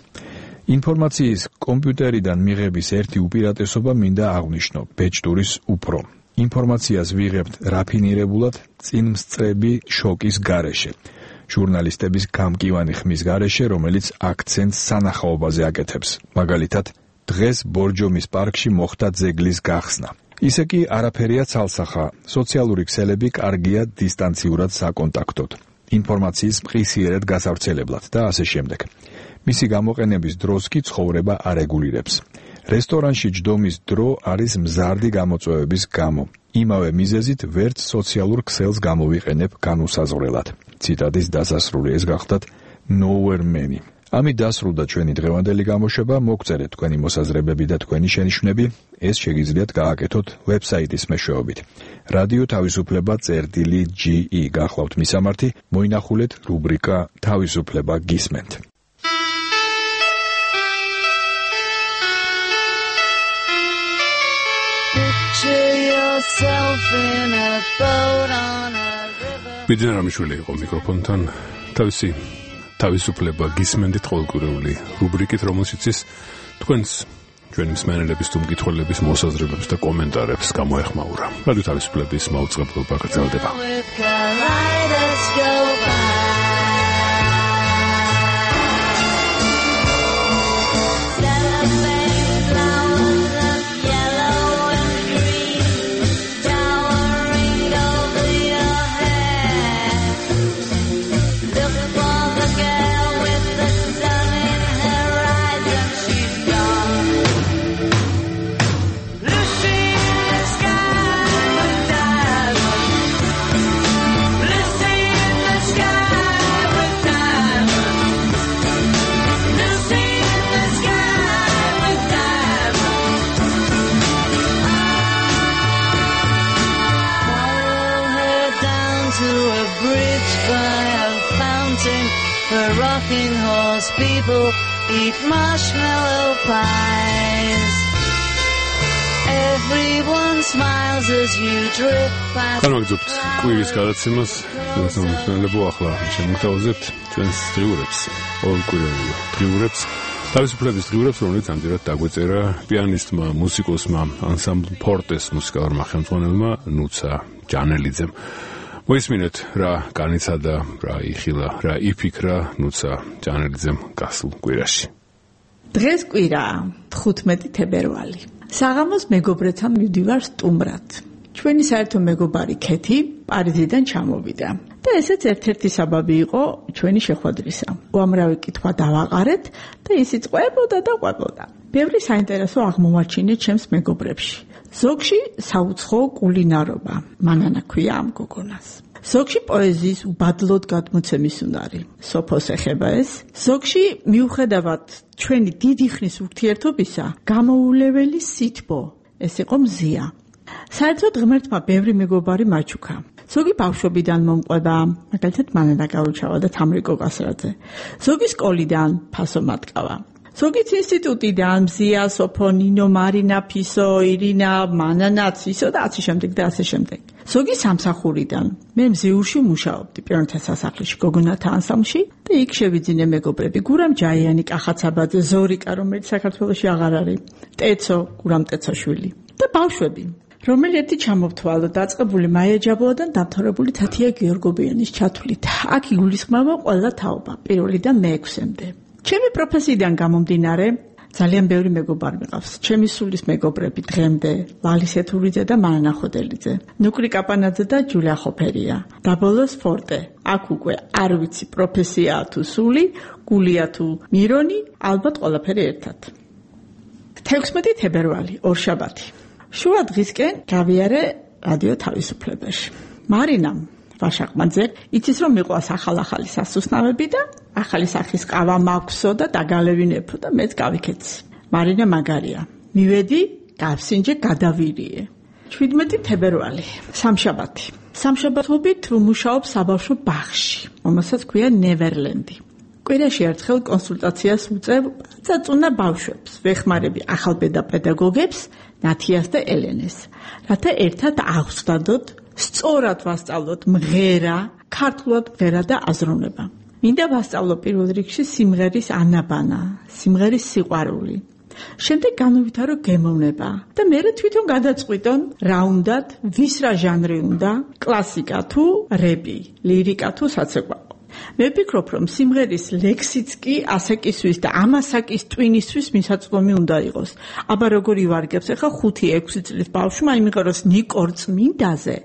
ინფორმაციის კომპიუტერიდან მიღების ერთი უპირატესობა მინდა აღვნიშნო, ბეჭდურის უფრო. ინფორმაციას ვიღებთ რაფინირებულად, წინმსწრები შოკის გარეშე. ჟურნალისტების გამკივანი ხმის გარეშე, რომელიც აქცენტს სანახაობაზე აკეთებს. მაგალითად, დღეს ბორჯომის პარკში მოხდა ძეგლის გახსნა. ისე კი არაფერია ცალსახა. სოციალური ქსელები კარგია დისტანციურად საკონტაქტოდ. ინფორმაციის მყისიერად გასავრცელებლად და ასე შემდეგ. მისი გამოყენების დროს კი ცხოვრება არეგულირებს. რესტორანში ჯდომის დრო არის მზარდი გამოწვევების გამო. იმავე მიზეზით ვერც სოციალურ ქსელს გამოვიყენებ განუსაზღვრელად. ციტატის დასასრული ეს გახდათ Nowhere Man-ი. ამით დასრულდა ჩვენი დღევანდელი გამოშვება. მოგწერეთ თქვენი მოსაზრებები და თქვენი შენიშვნები. ეს შეგიძლიათ გააკეთოთ ვებსაიტის მეშვეობით. რადიო თავისუფლება წერტილი ჯი ი გახლავთ მისამართი. მოინახულეთ რუბრიკა თავისუფლება გისმენთ. ბიძინა რამიშვილი იყო მიკროფონთან. თავისი თავისუფლება გისმენდით ყოველკვირეული რუბრიკით, რომელშიც ის თქვენს ჩვენი მსმენელების თუ მკითხველების მოსაზრებებს და კომენტარებს გამოეხმაურა. რადიო თავისუფლების მაუწყებლობა გრძელდება. Rocking horse people eat marshmallow pies. Everyone smiles as you drip past. განვაგრძობთ კვირის გადაცემას. ეს მომხმარებო ახლა შემოგთავაზებთ ჩვენს დღიურებს, ყოველკვირეულ დღიურებს, თავისუფლების დღიურებს, რომელიც ამჯერად დაგვეწერა პიანისტმა, მუსიკოსმა, ანსამბლ ფორტეს მუსიკალურმა ხელმძღვანელმა ნუცა ჯანელიძემ. მოისმინეთ რა განიცადა, რა იხილა, რა იფიქრა ნუცა ჯანელიძემ გასულ კვირაში. დღეს კვირაა, თხუთმეტი თებერვალი. საღამოს მეგობრებთან მივდივარ სტუმრად. ჩვენი საერთო მეგობარი ქეთი პარიზიდან ჩამოვიდა და ესეც ერთ-ერთი საბაბი იყო ჩვენი შეხვედრისა. უამრავი კითხვა დავაყარეთ და ისიც ყვებოდა და ყვებოდა. ბევრი საინტერესო აღმოვაჩინე ჩემს მეგობრებში. ზოგში საუცხოო კულინარობა, მანანა ქვია ამ გოგონას. ზოგში პოეზიის უბადლოდ გადმოცემის უნარი, სოფოს ეხება ეს. ზოგში მიუხედავად ჩვენი დიდი ხნის ურთიერთობისა, გამოულეველი სითბო, ეს იყო მზია. საერთოდ ღმერთმა ბევრი მეგობარი მაჩუქა. ზოგი ბავშვობიდან მომყვება, მაგალითად მანანა გაურჩავა და თამრიკო კასრაძე. ზოგი სკოლიდან ფასო მატკავა. ზოგიც ინსტიტუტიდან მზია, სოფო, ნინო, მარინა, ფისო, ირინა, მანანა, ცისო და ასე შემდეგ და ასე შემდეგ. ზოგი სამსახურიდან. მე მზიურში მუშაობდი პიროვნთა სასახლეში, გოგონათა ანსამბლში და იქ შევიძინე მეგობრები. გურამ ჯაიანი, კახაცაბაძე, ზორიკა, რომელიც საქართველოში აღარ არის, ტეცო, გურამ ტეცოშვილი და ბავშვები. რომელი ერთი ჩამოვთვალო დაწყებული მაია ჯაბოადან დამთავრებული თათია გიორგობიანის ჩათვლით. აქ იგულისხმება ყველა თაობა, პირველიდან მეექვსემდე. ჩემი პროფესიიდან გამომდინარე, ძალიან ბევრი მეგობარი მიყავს. ჩემი სულის მეგობრები დღემდე, ლალის ეთურიძე და მანანა ხოდელიძე, ნუკრი კაპანაძე და ჯულია ხოფერია, და ბოლოს ფორტე. აქ უკვე არ ვიცი პროფესიაა თუ სული, გულია თუ მირონი, ალბათ ყველაფერი ერთად. თექვსმეტი თებერვალი, ორშაბათი. შუა დღისკენ გავიარე რადიო თავისუფლებაში. მარინამ ვაშაყმაძე იცის რომ მიყვას ახალ-ახალი სასუსნავები და ახალი სახის ყავა მაქვსო და დაგალევინებო და მეც გავიქეცი. მარინა მაგარია. მივედი, გავსინჯე, გადავირიე. შვიდმეტი თებერვალი, სამშაბათი. სამშაბათობით ვმუშაობ საბავშვო ბაღში, რომელსაც ქვია ნევერლენდი. კვირაში ერთხელ კონსულტაციას ვუწევ წაწუნა ბავშვებს, ვეხმარები ახალბედა პედაგოგებს, ნათიას და ელენეს, რათა ერთად აღვსვდადოთ, სწორად ვასწავლოთ მღერა, ქართულად მღერა და აზროვნება. მინდა ვასწავლო პირველ რიგში სიმღერის ანაბანა, სიმღერის სიყვარული. შემდეგ განუვითარო გემოვნება და მერე თვითონ გადაწყვიტონ რა უნდათ, ვის რა ჟანრი უნდა, კლასიკა თუ რეპი, ლირიკა თუ საცეკვაო. მე ვფიქრობ, რომ სიმღერის ლექსიც კი ასაკისთვის და ამასაკის ტვინისთვის მისაწვდომი უნდა იყოს. აბა როგორ ივარგებს ახლა ხუთი ექვსი წლის ბავშვმა იმღეროს ნიკორ წმინდაზე,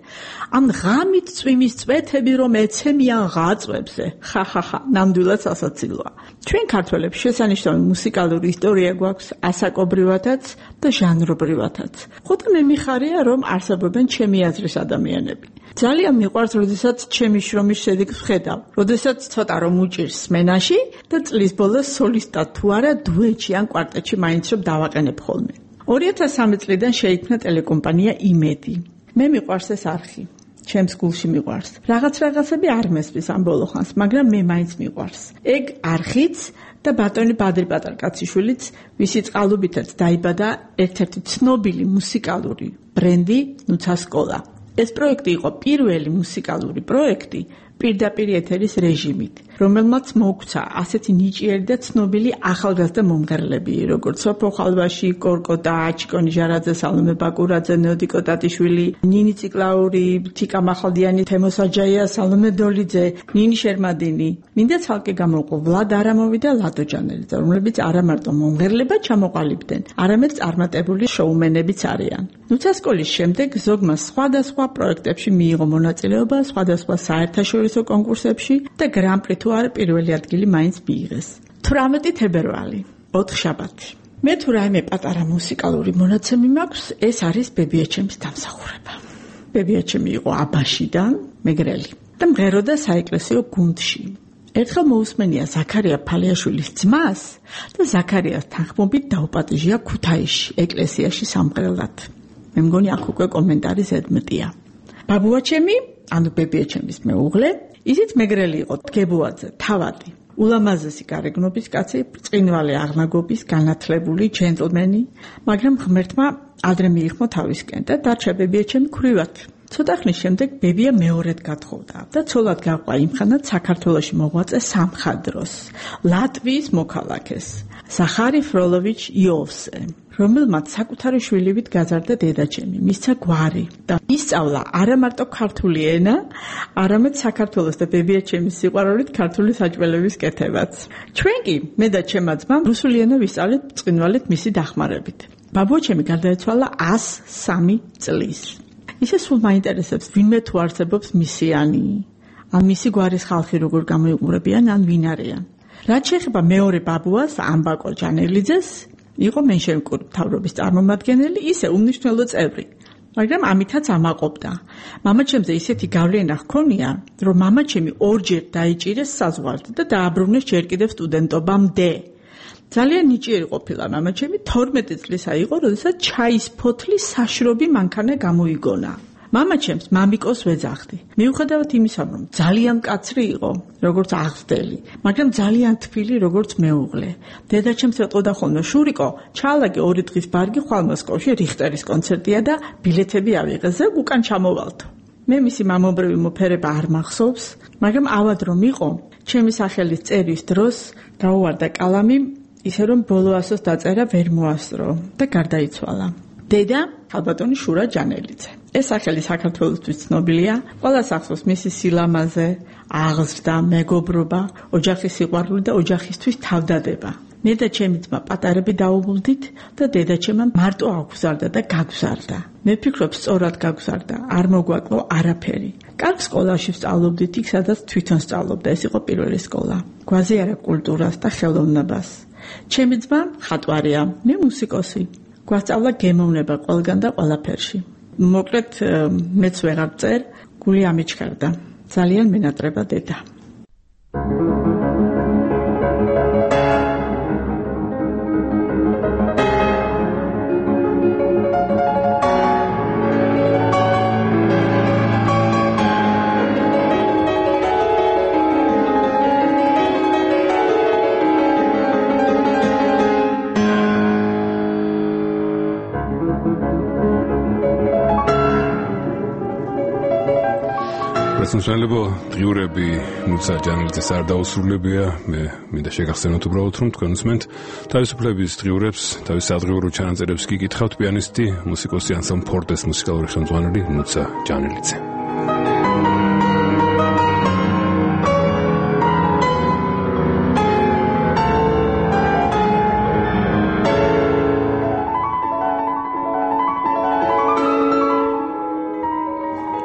ამ ღამით წვიმის წვეთები რომ ეცემიან ღაწვებზე. ხახახა, ნამდვილად სასაცილოა. ჩვენ ქართველებს შესანიშნავი მუსიკალური ისტორია გვაქვს ასაკობრივათაც და ჟანრობრივათაც. ხოთა მე მიხარია, რომ არსებობენ ჩემი აზრის ადამიანები. ძალიან მიყვარს, როდესაც ჩემი შრომის შედეგს ვხედავ, როდესაც ცოტა რომ უჭირს სმენაში და წლის ბოლოს სოლისტად თუ არა დუეტში ან კვარტეტში მაინც რომ დავაყენებ ხოლმე. ორი ათას სამი წლიდან შეიქმნა ტელეკომპანია იმედი. მე მიყვარს ეს არხი. ჩემს გულში მიყვარს. რაღაც რაღაცები არ მესმის ამ ბოლო ხანს, მაგრამ მე მაინც მიყვარს. ეგ არხიც და ბატონი ბადრი პატარკაციშვილიც, ვისი წყალობითაც დაიბადა ერთ-ერთი ცნობილი მუსიკალური ბრენდი ნუცა სკოლა. ეს პროექტი იყო პირველი მუსიკალური პროექტი პირდაპირ ეთერის რეჟიმით, რომელმაც მოგვცა ასეთი ნიჭიერი და ცნობილი ახალგაზრდა მომღერლები, როგორც სოფო ხალვაში, კორკოტა, აჩიკო ნიჟარაძე, სალომე ბაკურაძე, ნეოდიკო ტატიშვილი, ნინი ციკლაური, თიკა მახალდიანი, თემო საჯაია, სალომე დოლიძე, ნინი შერმადინი. მინდა ცალკე გამოვყო ვლად არამოვი და ლადო ჯანელიძე, რომლებიც არა მარტო მომღერლებად ჩამოყალიბდნენ, არამედ წარმატებული შოუმენებიც არიან. ნუცა სკოლის შემდეგ ზოგმა სხვადასხვა პროექტებში მიიღო მონაწილეობა, სხვადასხვა საერთაშორისო კონკურსებში და გრან-პრი თუ არა პირველი ადგილი მაინც მიიღეს. თვრამეტი თებერვალი, ოთხშაბათი. მე თუ რაიმე პატარა მუსიკალური მონაცემი მაქვს, ეს არის ბებიაჩემის დამსახურება. ბებიაჩემი იყო აბაშიდან, მეგრელი და მღეროდა საეკლესიო გუნდში. ერთხელ მოусმენია ზაქარია ფალიაშვილის ძმას და ზაქარიას თანხმობით დაუპატიჟია ქუთაისში, ეკლესიაში სამღერლად. მე მგონი აქ უკვე კომენტარი ზედმეტია. ბაბუაჩემი, ანუ ბებიაჩემის მეუღლე, ისიც მეგრელი იყო, დგებუაძე, თავადი. ულამაზესი გარეგნობის კაცი, ბრწყინვალე აღნაგობის, განათლებული ჯენტლმენი, მაგრამ ღმერთმა ადრე მიიხმო თავისკენ და დარჩა ბებიაჩემი ქვრივად. ცოტა ხნის შემდეგ ბებია მეორედ გათხოვდა და ცოლად გაყვა იმხანად საქართველოში მოღვაწე სამხადროს, ლატვიის მოქალაქეს, სახარი ფროლოვიჩ იოვსე, რომელმაც საკუთარი შვილივით გაზარდა დედაჩემი, მისცა გვარი და ისწავლა არა მარტო ქართული ენა, არამედ საქართველოს და ბებიაჩემის სიყვარულით ქართული საჭმელების კეთებაც. ჩვენ კი მე და ჩემმა ძმამ რუსული ენა ვისწავლეთ ბრწყინვალედ მისი დახმარებით. ბაბუაჩემი გარდაეცვალა ას სამი წლის. ისე სულ მაინტერესებს, ვინმე თუ არსებობს მისიანი, ან მისი გვარის ხალხი როგორ გამოიყურებიან, ან ვინ არიან. რაც შეეხება მეორე ბაბუას, ამბაკო ჯანელიძეს, იყო მენშევიკური მთავრობის წარმომადგენელი, ისე უმნიშვნელო წევრი, მაგრამ ამითაც ამაყობდა. მამაჩემზე ისეთი გავლენა ჰქონია, რომ მამაჩემი ორჯერ დაიჭირეს საზღვართ და დააბრუნეს ჯერ კიდევ სტუდენტობამდე. ძალიან ნიჭიერი ყოფილა მამაჩემი, თორმეტი წლისა იყო, როდესაც ჩაის ფოთლის საშრობი მანქანა გამოიგონა. მამაჩემს მამიკოს ვეძახდი. მიუხედავად იმისა, რომ ძალიან მკაცრი იყო, როგორც აღზრდელი, მაგრამ ძალიან თბილი, როგორც მეუღლე. დედაჩემს ეტყოდა ხოლმე, შურიკო, ჩაალაგე ორი დღის ბარგი ხვალ მოსკოვში რიხტერის კონცერტია და ბილეთები ავიღე, ზეგ უკან ჩამოვალთო. მე მისი მამობრივი მოფერება არ მახსოვს, მაგრამ ავად რომ იყო, ჩემი სახელის წერის დროს გაუვარდა კალამი, ისე რომ ბოლო ასოს დაწერა ვერ მოასწრო და გარდაიცვალა. დედა ალბათონი შურა ჯანელიძე. ეს სახელი საქართველოსთვის ცნობილია, ყველას ახსოვს მისი სილამაზე, აღზრდა, მეგობრობა, ოჯახის სიყვარული და ოჯახისთვის თავდადება. მე და ჩემი ძმა პატარები დაუბრუნდით და დედაჩემმა მარტო აგზარდა და გაგზარდა. მე ვფიქრობ, სწორად გაგზარდა, არ მოგვაკლო არაფერი. კარგ სკოლაში ვსწავლობდით, იქ სადაც თვითონ სწავლობდა, ეს იყო პირველი სკოლა. გვაზიარა კულტურას და ხელოვნებას. ჩემი ძმა ხატვარია, მე მუსიკოსი. გვასწავლა გემოვნება ყველგან და ყველაფერში. მოკლედ მეც ვეღარ წერ, გული ამიჩქარდა. ძალიან მენატრება დედა. სანშალებო დღიურები ნუცა ჯანელიძეს არ დაუსრულებია. მე მინდა შეგახსენოთ უბრალოდ, რომ თქვენ უსმენთ თავისუფლების დღიურებს, თავის სადღიურო ჩანაწერებს კი გითხავთ პიანისტი, მუსიკოსი ანსამბლ ფორტეს მუსიკალური ხელმძღვანელი ნუცა ჯანელიძე.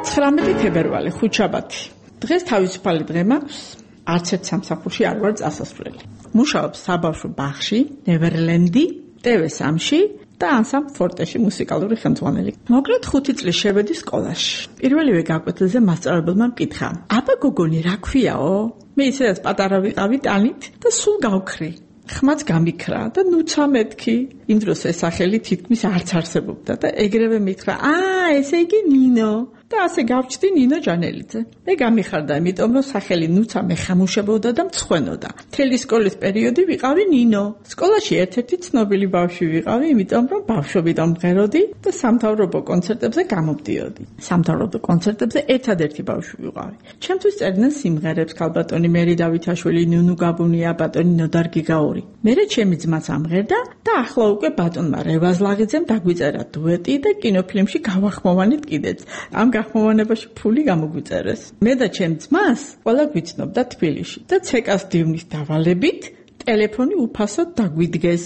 ცხრამეტი თებერვალი, ხუთშაბათი. დღეს თავისუფალი დღე მაქვს, არც ერთ სამსახურში არ ვარ წასასვლელი. მუშაობს საბავშვო ბაღში, ნევერლენდი, ტე ვე სამში და ანსამბლ ფორტეში მუსიკალური ხელმძღვანელი. მოკლედ ხუთი წლის შევედი სკოლაში. პირველივე გაკვეთილზე მასწავლებელმა მკითხა: "აბა გოგონი, რა ქვიაო?" მე ისედაც პატარა ვიყავი ტანით და სულ გავქრი. ხმაც გამიქრა და ნუცა მეთქი. იმ დროს ეს სახელი თითქმის არც არსებობდა და ეგრევე მითხრა: "აა, ესე იგი ნინო." და ასე გავჩდი ნინო ჯანელიძე. მე გამიხარდა, იმიტომ რომ სახელი ნუცა მე ხამუშებოდა და მცხვენოდა. მთელი სკოლის პერიოდი ვიყავი ნინო. სკოლაში ერთ-ერთი ცნობილი ბავშვი ვიყავი, იმიტომ რომ ბავშვობიდან მღეროდი და სამთავრობო კონცერტებზე გამომდიოდი. სამთავრობო კონცერტებზე ერთადერთი ბავშვი ვიყავი. ჩემთვის წერდნენ სიმღერებს ქალბატონი მერი დავითაშვილი, ნუნუ გაბუნია, ბატონი ნოდარ გიგაური. მერე ჩემი ძმაც ამღერდა და ახლა უკვე ბატონმა რევაზ ლაღიძემ დაგვიწერა დუეტი და კინოფილმში გავახმოვანით კიდეც. ამ გახმოვანებაში ფული გამოგვიწერეს. მე და ჩემ ძმას ყველა გვიცნობდა თბილისში და ცეკას დივნის დავალებით ტელეფონი უფასოდ დაგვიდგეს.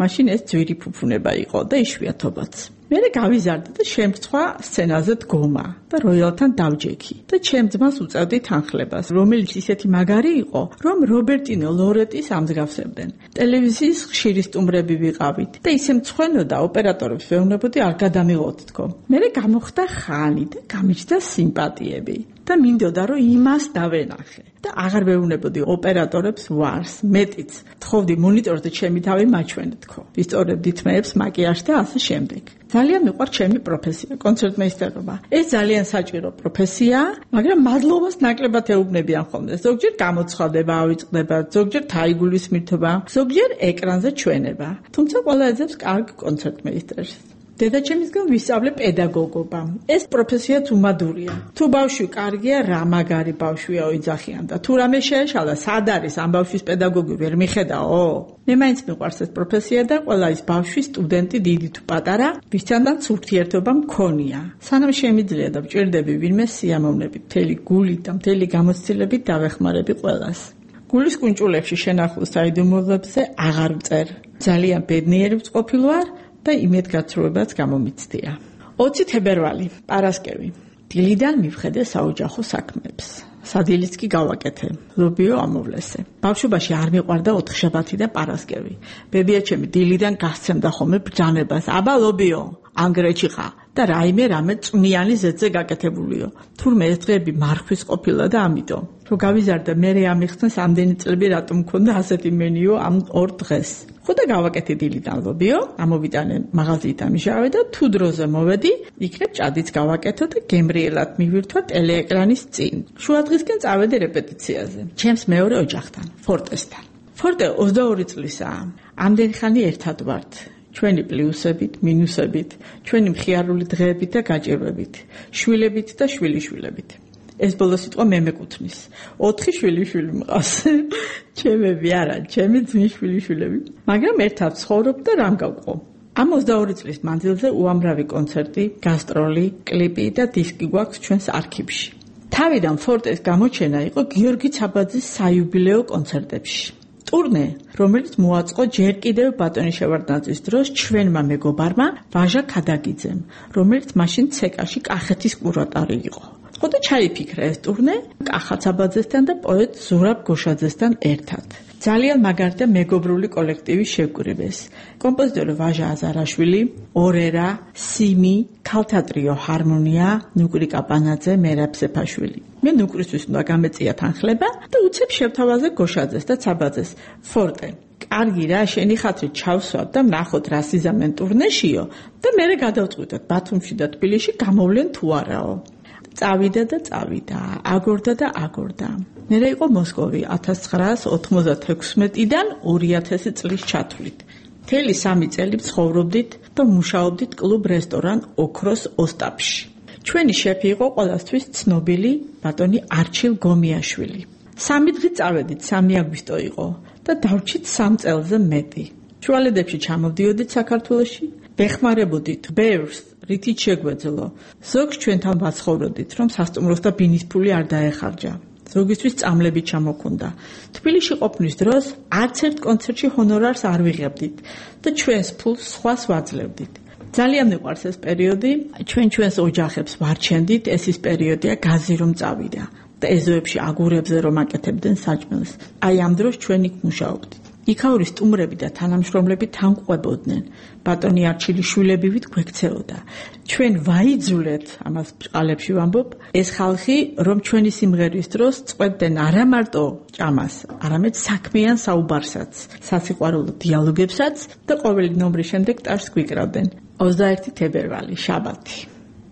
მაშინ ეს ძვირი ფუფუნება იყო და იშვიათობაც. მერე გავიზარდა და შემწვა სცენაზე დგომა და როიალთან დავჯექი და ჩემ ძმას უწევდი თანხლებას, რომელიც ისეთი მაგარი იყო, რომ რობერტინო ლორეტის ამსგავსებდნენ. ტელევიზიის ხშირი სტუმრები ვიყავით და ისე მცხვენოდა, ოპერატორებს ვეუბნებოდი არ გადამიღოთ თქო. მერე გამოხდა ხანი და გამიჩნდა სიმპათიები. და მინდოდა რომ იმას დავენახე და აღარ ვეუბნებოდი ოპერატორებს ვარს, მეტიც თხოვდი მონიტორზე ჩემი თავი მაჩვენე თქო. ვისწორებდი თმეებს, მაკიაჟს და ასე შემდეგ. ძალიან მიყვარს ჩემი პროფესია, კონცერტმეისტერობა. ეს ძალიან საჭირო პროფესიაა, მაგრამ მადლობას ნაკლებად ეუბნებიან ხოლმე. ზოგჯერ გამოცხადება ავიწყდება, ზოგჯერ თაიგულისმირთობა, ზოგჯერ ეკრანზე ჩვენება. თუმცა ყველა ეძებს კარგ კონცერტმეისტერს. დედაჩემისგან ვისწავლე პედაგოგობა. ეს პროფესიაც უმადურია. თუ ბავშვი კარგია, რა მაგარი ბავშვია ოიძახიან და თუ რამე შეეშალა, სად არის ამ ბავშვის პედაგოგი ვერ მიხედაო? მე მაინც მიყვარს ეს პროფესია და ყველა ის ბავშვი, სტუდენტი, დიდი თუ პატარა, ვისთანაც ურთიერთობა მქონია. სანამ შემიძლია და ვჭირდები ვინმე სიამოვნებით, მთელი გულით და მთელი გამოცდილებით დავეხმარები ყველას. გულის კუნჭულებში შენახულ საიდუმლოებზე აღარ ვწერ. ძალიან ბედნიერი ვწყობილ ვარ და იმედგაცრუებაც გამომიცდია. ოცი თებერვალი, პარასკევი. დილიდან მივხედე საოჯახო საქმეებს. სადილიც კი გავაკეთე. ლობიო ამოვლესე. ბავშვობაში არ მიყვარდა ოთხშაბათი და პარასკევი. ბებიაჩემი დილიდან გასცემდა ხოლმე ბრძანებას. აბა ლობიო, ანგრეჩი ხა და რაიმე რამე წვნიანი ზეცზე გაკეთებულიო. თურმე ეს დღეები მარხვის ყოფილა და ამიტომ. რომ გავიზარდა მე ამიხსნეს ამდენი წლები რატომ მქონდა ასეთი მენიო ამ ორ დღეს. ხოდა გავაკეთე დილიდან ლობიო, ამოვიტანე მაღაზიით ამიშავე და თუ დროზე მოვედი, იქნებ ჭადიც გავაკეთო და გემრიელად მივირთვა ტელეეკრანის წინ. შუა დღისკენ წავედი რეპეტიციაზე. ჩემს მეორე ოჯახთან, ფორტესთან. ფორტე ოცდაორი წლისაა. ამდენი ხანი ერთად ვართ. ჩვენი პლუსებით, მინუსებით, ჩვენი მხიარული დღეებით და გაჭირვებით, შვილებით და შვილიშვილებით. ეს ბოლო სიტყვა მე მეკუთვნის. ოთხი შვილიშვილი მყავს. ჩემები არა, ჩემი ძმის შვილიშვილები. მაგრამ ერთად ცხოვრობ და რამ გავყო. ამ ოცდაორი წლის მანძილზე უამრავი კონცერტი, გასტროლი, კლიპი და დისკი გვაქვს ჩვენს არქივში. თავიდან ფორტეს გამოჩენა იყო გიორგი ცაბაძის საიუბილეო კონცერტებში. ტურნე, რომელიც მოაწყო ჯერ კიდევ ბატონი შევარდნაძის დროს ჩვენმა მეგობარმა ვაჟა ქადაგიძემ, რომელიც მაშინ ცეკაში კახეთის კურატორი იყო. ხოდა ჩაიფიქრა ეს ტურნე კახა ცაბაძესთან და პოეტ ზურაბ გოშაძესთან ერთად. ძალიან მაგარი და მეგობრული კოლექტივი შეგვირებეს. კომპოზიტორი ვაჟა აზარაშვილი, ორერა, სიმი, ქალთეატრიო ჰარმონია, ნუკრი კაპანაძე, მერაბ სეფაშვილი. მე ნუკრისთვის უნდა გამეწია თანხლება და უცებ შევთავაზე გოშაძეს და ცაბაძეს. ფორტე, კარგი რა, შენი ხათრით ჩავსვათ და ვნახოთ რა სიზამენ ტურნეშიო და მერე გადავწყვიტოთ ბათუმში და თბილისში გამოვლენ თუ არაო. წავიდა და წავიდა, აგორდა და აგორდა. მერე იყო მოსკოვი ათას ცხრაას ოთხმოცდათექვსმეტიდან ორი ათასი წლის ჩათვლით. მთელი სამი წელი ცხოვრობდით და მუშაობდით კლუბ რესტორან ოქროს ოსტაპში. ჩვენი შეფი იყო ყველასთვის ცნობილი ბატონი არჩილ გომიაშვილი. სამი დღით წავედით, სამი აგვისტო იყო და დავრჩით სამ წელზე მეტი. შუალედებში ჩამოვდიოდით საქართველოში, ვეხმარებოდით ბევრს, რითიც შეგვეძლო. ზოგს ჩვენთან ვაცხოვროდით, რომ სასტუმროს და ბინის ფული არ დაეხარჯა. ზოგისთვის წამლები ჩამოქონდა. თბილისში ყოფნის დროს არც ერთ კონცერტში ჰონორარს არ ვიღებდით და ჩვენს ფულს სხვას ვაძლევდით. ძალიან მიყვარს ეს პერიოდი. ჩვენ ჩვენს ოჯახებს ვარჩენდით, ეს ის პერიოდია გაზი რომ წავიდა და ეზოებში აგურებზე რომ აკეთებდნენ საჭმელს. აი ამ დროს ჩვენ იქ მუშაობდით. იქაური სტუმრები და თანამშრომლები თან ყვებოდნენ. ბატონი არჩილიშვილებივით გვექცეოდა. ჩვენ ვაიძულეთ, ამას ბჭყალებში ვამბობ, ეს ხალხი რომ ჩვენი სიმღერის დროს წყვეტდნენ არა მარტო ჭამას, არამედ საქმიან საუბარსაც, სასიყვარულო დიალოგებსაც და ყოველი ნომრის შემდეგ ტარს გვიკრავდნენ. ოცდაერთი თებერვალი, შაბათი.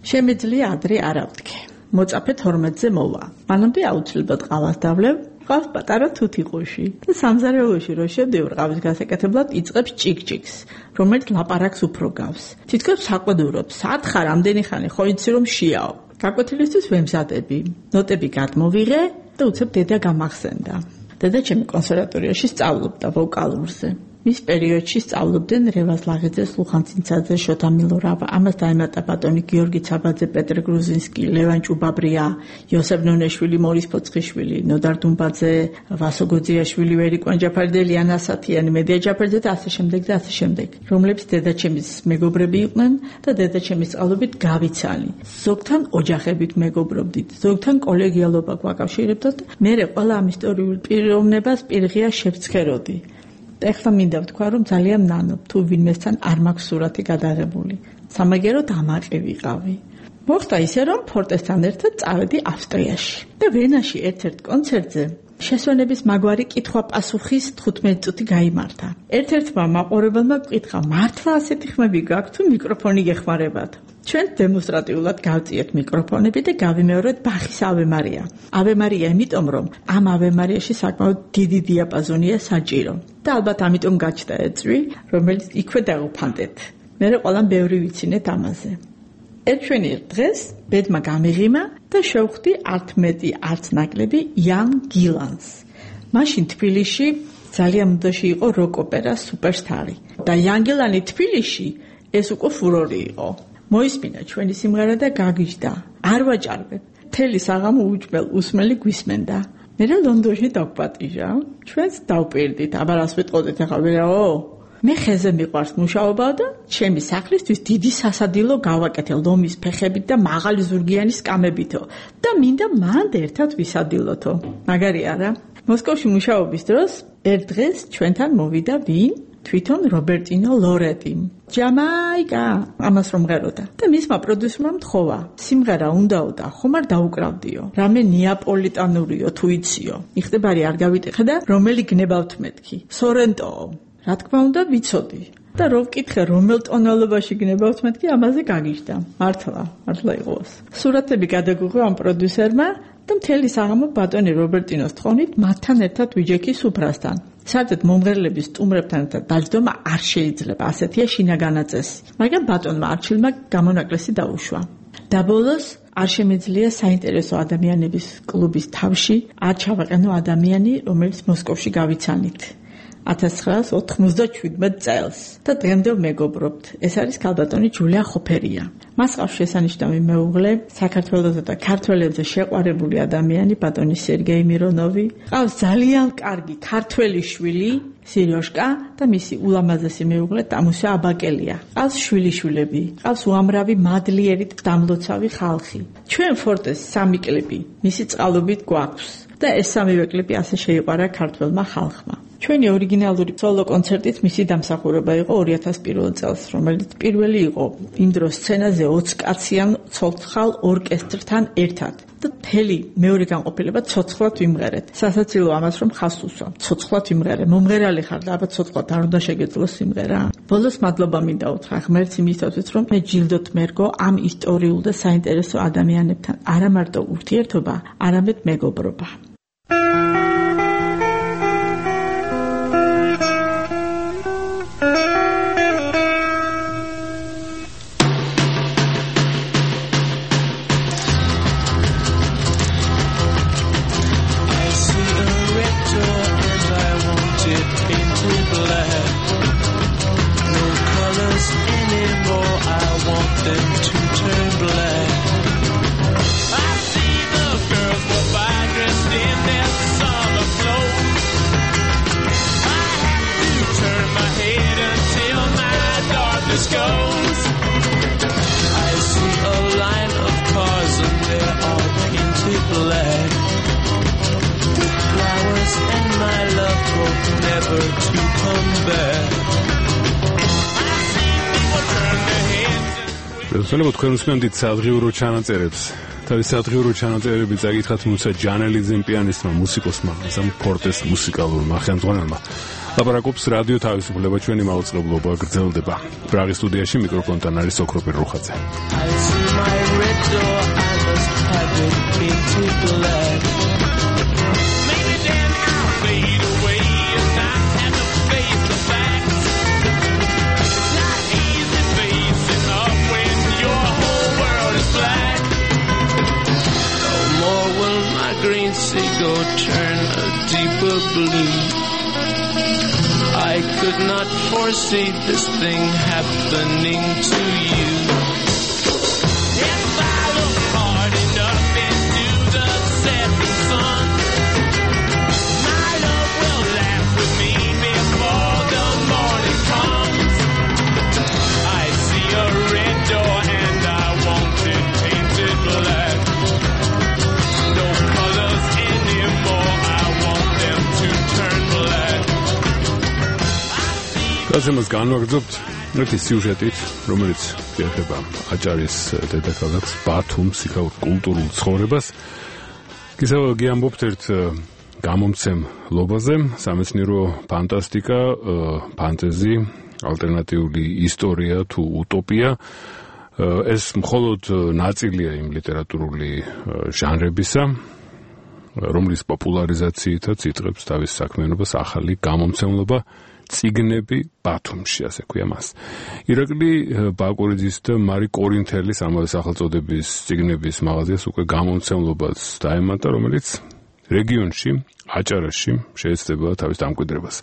შემიძლია ადრე არ ავდგე. მოწაფე თორმეტზე მოვა. მანამდე აუცილებლად ყავას დავლევ. ყავს პატარა თუთიყუში და სამზარეულოში რო შევდივარ ყავის გასაკეთებლად იწყებს ჭიკჭიკს, რომელიც ლაპარაკს უფრო გავს. თითქოს საყვედურობს, სათხარ ამდენი ხანი ხო იცი რომ შიაო. გაკვეთილისთვის ვემზადები, ნოტები გადმოვიღე და უცებ დედა გამახსენდა. დედა ჩემი კონსერვატორიაში სწავლობდა ვოკალურზე. მის პერიოდში სწავლობდნენ რევაზ ლაღიძე, ლუხან ცინცაძე, შოთა მილორავა. ამას დაემატა ბატონი გიორგი ცაბაძე, პეტრ გრუზინსკი, ლევან ჭუბაბრია, იოსებ ნონეშვილი, მორის ფოცხიშვილი, ნოდარ დუმბაძე, ვასო გოძიაშვილი, ვერი კვანჯაფარიძე, ლიანა ასათიანი, მედია ჯაფარიძე და ასე შემდეგ და ასე შემდეგ, რომლებიც დედაჩემის მეგობრები იყვნენ და დედაჩემის სწავლობით გავიცანი. ზოგთან ოჯახებით მეგობრობდით, ზოგთან კოლეგიალობა გვაკავშირებდათ. მე ყველა ამ ისტორიულ პიროვნებას პირღია შევცხეროდი. ეხლა მინდა ვთქვა, რომ ძალიან ნანობ, თუ ვინმესთან არ მაქვს სურათი გადაღებული. სამაგეროდ ამაყი ვიყავი. მოხდა ისე, რომ ფორტესთან ერთად წავედი ავსტრიაში და ვენაში ერთ-ერთ კონცერტზე შესვენების მაგვარი კითხვა-პასუხის თხუთმეტი წუთი გაიმართა. ერთ-ერთმა მაყურებელმა გკითხა, მართლა ასეთი ხმები გაქვთ თუ მიკროფონი გეხმარებათ? ჩვენ დემონსტრატიულად გავწიეთ მიკროფონები და გავიმეორეთ ბახის ავე მარია. ავე მარია იმიტომ, რომ ამ ავე მარიაში საკმაოდ დიდი დიაპაზონია საჭირო. და ალბათ ამიტომ გაჩნდა ეწვი, რომელიც იქვე დავუფანდეთ. მე ყველამ ბევრი ვიცინეთ ამაზე. ერთვენიერ დღეს ბედმა გამიღიმა და შევხვდი არც მეტი, არც ნაკლები იან გილანს. მაშინ თბილისში ძალიან მოდაში იყო როკ ოპერას სუპერსტარი და იან გილანი თბილისში ეს უკვე ფურორი იყო. მოისმინა ჩვენი სიმღერა და გაგიჟდა. არ ვაჭარბებ. მთელი საღამო უჭმელ უსმელი გვისმენდა. მე ლონდონში დავპატიჟა. ჩვენს დავპირდით, აბა რას ვიტყოდით ახლა ვერაო? მე ხეზე მიყვარს მუშაობა და ჩემი სახლისთვის დიდი სასადილო გავაკეთე ლომის ფეხებით და მაღალი ზურგიანი სკამებითო და მინდა მანდ ერთად ვისადილოთო. მაგარი არა? მოსკოვში მუშაობის დროს ერთ დღეს ჩვენთან მოვიდა ვინ? თვითონ რობერტინო ლორეტი. ჯამაიკა, ამას რომ ღეროდა. და მისმა პროდიუსერმა მთხოვა, სიმღერა უნდაო და ხომ არ დაუკრავდიო. რამე ნეაპოლიტანურიო თუ იციო. იხდებარი არ გავიტეხე და რომელი გნებავთ მეთქი? სორენტოო. რა თქმა უნდა ვიცოდი. და რო ვკითხე რომელ ტონალობაში გნებავთ მეთქი, ამაზე გაგიჟდა. მართლა, მართლა იყოს. სურათები გადაგუღო ამ პროდიუსერმა და მთელი საღამო ბატონი რობერტინოს თხოვნით მათთან ერთად ვიჯექი სუფრასთან. საერთოდ მომღერლების სტუმრებთან ერთად დაჯდომა არ შეიძლება, ასეთია შინაგანა წესი. მაგრამ ბატონმა არჩილმა გამონაკლისი დაუშვა. და ბოლოს არ შემეძლია საინტერესო ადამიანების კლუბის თავში არ ჩავაყენო ადამიანი, რომელიც მოსკოვში გავიცანით. ათას ცხრაას ოთხმოცდაშვიდმეტ წელს და დღემდე მეგობრობთ. ეს არის ქალბატონი ჯულია ხოფერია. მას ყავს შესანიშნავი მეუღლე, საქართველოსა და ქართველებზე შეყვარებული ადამიანი ბატონი სერგეი მირონოვი. ყავს ძალიან კარგი ქართველი შვილი სირიოშკა და მისი ულამაზესი მეუღლე დამუსა აბაკელია. ყავს შვილიშვილები, ყავს უამრავი მადლიერი და დამლოცავი ხალხი. ჩვენ ფორტეს სამი კლიპი მისი წყალობით გვაქვს და ეს სამივე კლიპი ასე შეიყვარა ქართველმა ხალხმა. ჩვენი ორიგინალური სოლო კონცერტით მისი დამსახურება იყო ორი ათას პირველ წელს, რომელიც პირველი იყო იმ დროს სცენაზე ოცი კაციან ცოცხალ ორკესტრთან ერთად. და მთელი მეორე განყოფილება ცოცხლად ვიმღერეთ. სასაცილო ამას რომ ხას უსვა, ცოცხლად ვიმღერე. მომღერალი ხარ და აბა ცოცხლად არ უნდა შეგეძლო სიმღერა. ბოლოს მადლობა მინდა უთხრა ღმერთს იმისათვის, რომ მე ჯილდოთ მერგო ამ ისტორიულ და საინტერესო ადამიანებთან არა მარტო ურთიერთობა, არამედ მეგობრობა. Dressed in ხელმძღვანელო, თქვენ უსმენთ სადღიურო ჩანაწერებს. თავის სადღიურო ჩანაწერები წაკითხათ მუსა ჯანელიძემ პიანისტმა, მუსიკოსმა, ასამ ფორტეს მუსიკალურმა ხელმძღვანელმა. ლაპარაკობს რადიო თავისუფლება, ჩვენი მაუწყებლობა გრძელდება. პრაღის სტუდიაში მიკროფონთან არის ოქროპირ რუხაძე. Go turn a deeper blue. I could not foresee this thing happening to you. If I look hard enough into the setting sun, my love will laugh with me before the morning comes. I see a red door and I want it painted black. No colors anymore, I want them to turn black. გაზემას განვაგრძობთ ერთი სიუჟეტით, რომელიც ეხება აჭარის დედაქალაქს ბათუმს, იქაურ კულტურულ ცხოვრებას. გისაუბრებთ ამბობთ ერთ გამომცემლობაზე, სამეცნიერო ფანტასტიკა, ფანტეზი, ალტერნატიული ისტორია თუ utopia. ეს მხოლოდ ნაწილია იმ ლიტერატურული ჟანრებისა, რომლის პოპულარიზაციითაც იწყებს თავის საქმიანობას ახალი გამომცემლობა წიგნები ბათუმში, ასე ქვია მას. ირაკლი ბაკურიძის და მარი კორინთელის ამავე სახელწოდების წიგნების მაღაზიას უკვე გამომცემლობაც დაემატა, რომელიც რეგიონში, აჭარაში შეეცდება თავის დამკვიდრებას.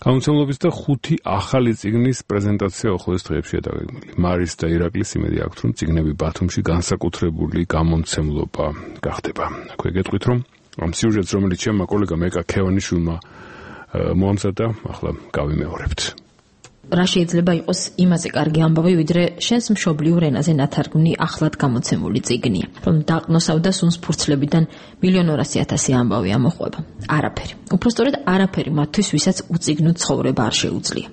გამომცემლობის და ხუთი ახალი წიგნის პრეზენტაცია უახლოეს დღეებშია დაგეგმილი. მარის და ირაკლის იმედი აქვთ, რომ წიგნები ბათუმში განსაკუთრებული გამომცემლობა გახდება. აქვე გეტყვით, რომ ამ სიუჟეტს, რომელიც ჩემმა კოლეგა მეკა ქევანიშვილმა მოამზადა, ახლა გავიმეორებთ. რა შეიძლება იყოს იმაზე კარგი ამბავი, ვიდრე შენს მშობლიურ ენაზე ნათარგმნი ახლად გამოცემული წიგნია, რომ დაყნოსავდა სუნს ფურცლებიდან მილიონ ორასი ათასი ამბავი ამოყვება. არაფერი. უпростоრედ არაფერი მათთვის, ვისაც უწიგნო ცხოვრება არ შეუძლია.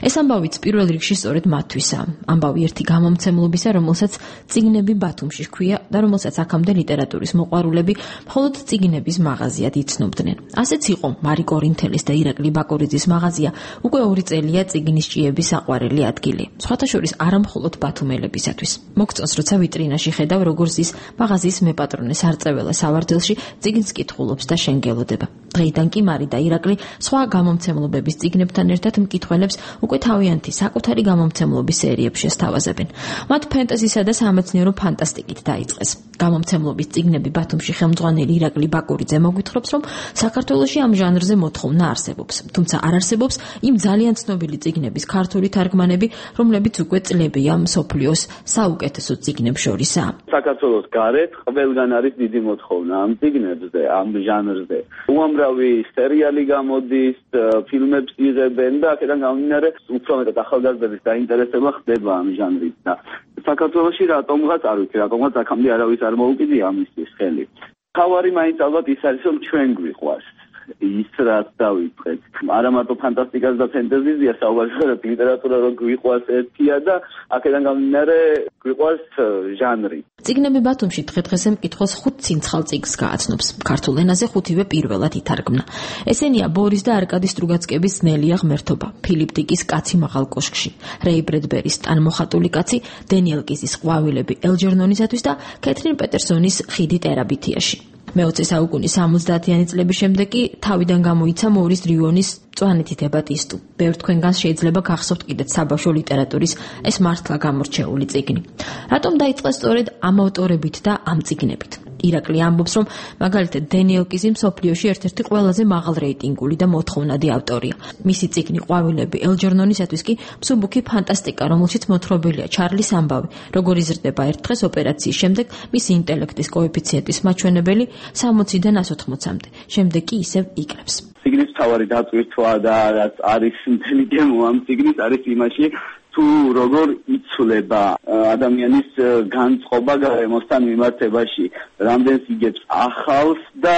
ეს ამბავიც პირველ რიგში სწორედ მათთვისაა. ამბავი ერთი გამომცემლობისა, რომელსაც წიგნები ბათუმში ჰქვია და რომელსაც აქამდე ლიტერატურის მოყვარულები მხოლოდ წიგნების მაღაზიად იცნობდნენ. ასეც იყო მარი კორინთელის და ირაკლი ბაკურიძის მაღაზია, უკვე ორი წელია წიგნის ჭიების საყვარელი ადგილი. სხვათა შორის არა მხოლოდ ბათუმელებისათვის. მოგწონს, როცა ვიტრინაში ხედავ, როგორ ზის მაღაზიის მეპატრონეს არწეველა სავარდელში წიგნს კითხულობს და შენგელოდება. დღეიდან კი მარი და ირაკლი სხვა გამომცემლობების წიგნებთან ერთად მკითხველებს უკვე თავიანთი საკუთარი გამომცემლობის სერიებში ესთავაზებენ. მათ ფენტეზისა და სამეცნიერო ფანტასტიკით დაიწყეს. გამომცემლობის წიგნები ბათუმში ხელმძღვანელი ირაკლი ბაკურიძე მოგვითხრობს, რომ საქართველოში ამ ჟანრზე მოთხოვნა არსებობს, თუმცა არ არსებობს იმ ძალიან ცნობილი წიგნების ქართული თარგმანები, რომლებიც უკვე წლებია მსოფლიოს საუკეთესო წიგნებს შორისაა. საქართველოს გარეთ ყველგან არის დიდი მოთხოვნა ამ წიგნებზე, ამ ჟანრზე. უამრავი სერიალი გამოდის, ფილმებს იღებენ და აქედან გამომდინარე უფრო მეტად ახალგაზრდების დაინტერესება ხდება ამ ჟანრით და საქართველოში რატომღაც არ ვიცი, რატომღაც აქამდე არავის არ მოუკიდია ამისთვის ხელი. თავარი მაინც ალბათ ის არის, რომ ჩვენ გვიყვარს ის რაც დავიწყეთ. არა მარტო ფანტასტიკას და ფენტეზიზია საუბარი, არამედ ლიტერატურა რო გვიყვარს ერთია და აქედან გამომდინარე გვიყვარს ჟანრი. წიგნები ბათუმში დღე-დღესე მკითხველს ხუთ ცინცხალ წიგნს გააცნობს. ქართულ ენაზე ხუთივე პირველად ითარგმნა. ესენია ბორის და არკადი სტრუგაცკების ძნელია ღმერთობა, ფილიპ დიკის კაცი მაღალ კოშკში, რეი ბრედბერის ტანმოხატული კაცი, დენიელ კიზის ყვავილები ელჯერნონისათვის და კეთრინ პეტერსონის ხიდი ტერაბითიაში. მეოცე საუკუნის სამოცდაათიანი წლების შემდეგ კი თავიდან გამოიცა მორის დრიუონის მწვანეთი დებატისტუ. ბევრ თქვენგანს შეიძლება გახსოვთ კიდეც საბავშვო ლიტერატურის ეს მართლა გამორჩეული წიგნი. რატომ დაიწყეს სწორედ ამ ავტორებით და ამ წიგნებით? ირაკლი ამბობს, რომ მაგალითად დენიელ კიზი მსოფლიოში ერთ-ერთი ყველაზე მაღალ რეიტინგული და მოთხოვნადი ავტორია. მისი წიგნი ყვავილები ელჯერნონისათვის კი მსუბუქი ფანტასტიკა, რომელშიც მოთხრობილია ჩარლის ამბავი, როგორ იზრდება ერთ დღეს ოპერაციის შემდეგ მისი ინტელექტის კოეფიციენტის მაჩვენებელი სამოციდან ას ოთხმოცამდე. შემდეგ კი ისევ იკრებს. წიგნის მთავარი დაწვირთვა და რაც არის მთელი გემო ამ წიგნის არის იმაში, თუ როგორ იცვლება ადამიანის განწყობა გარემოსთან მიმართებაში, რამდენს იგებს ახალს და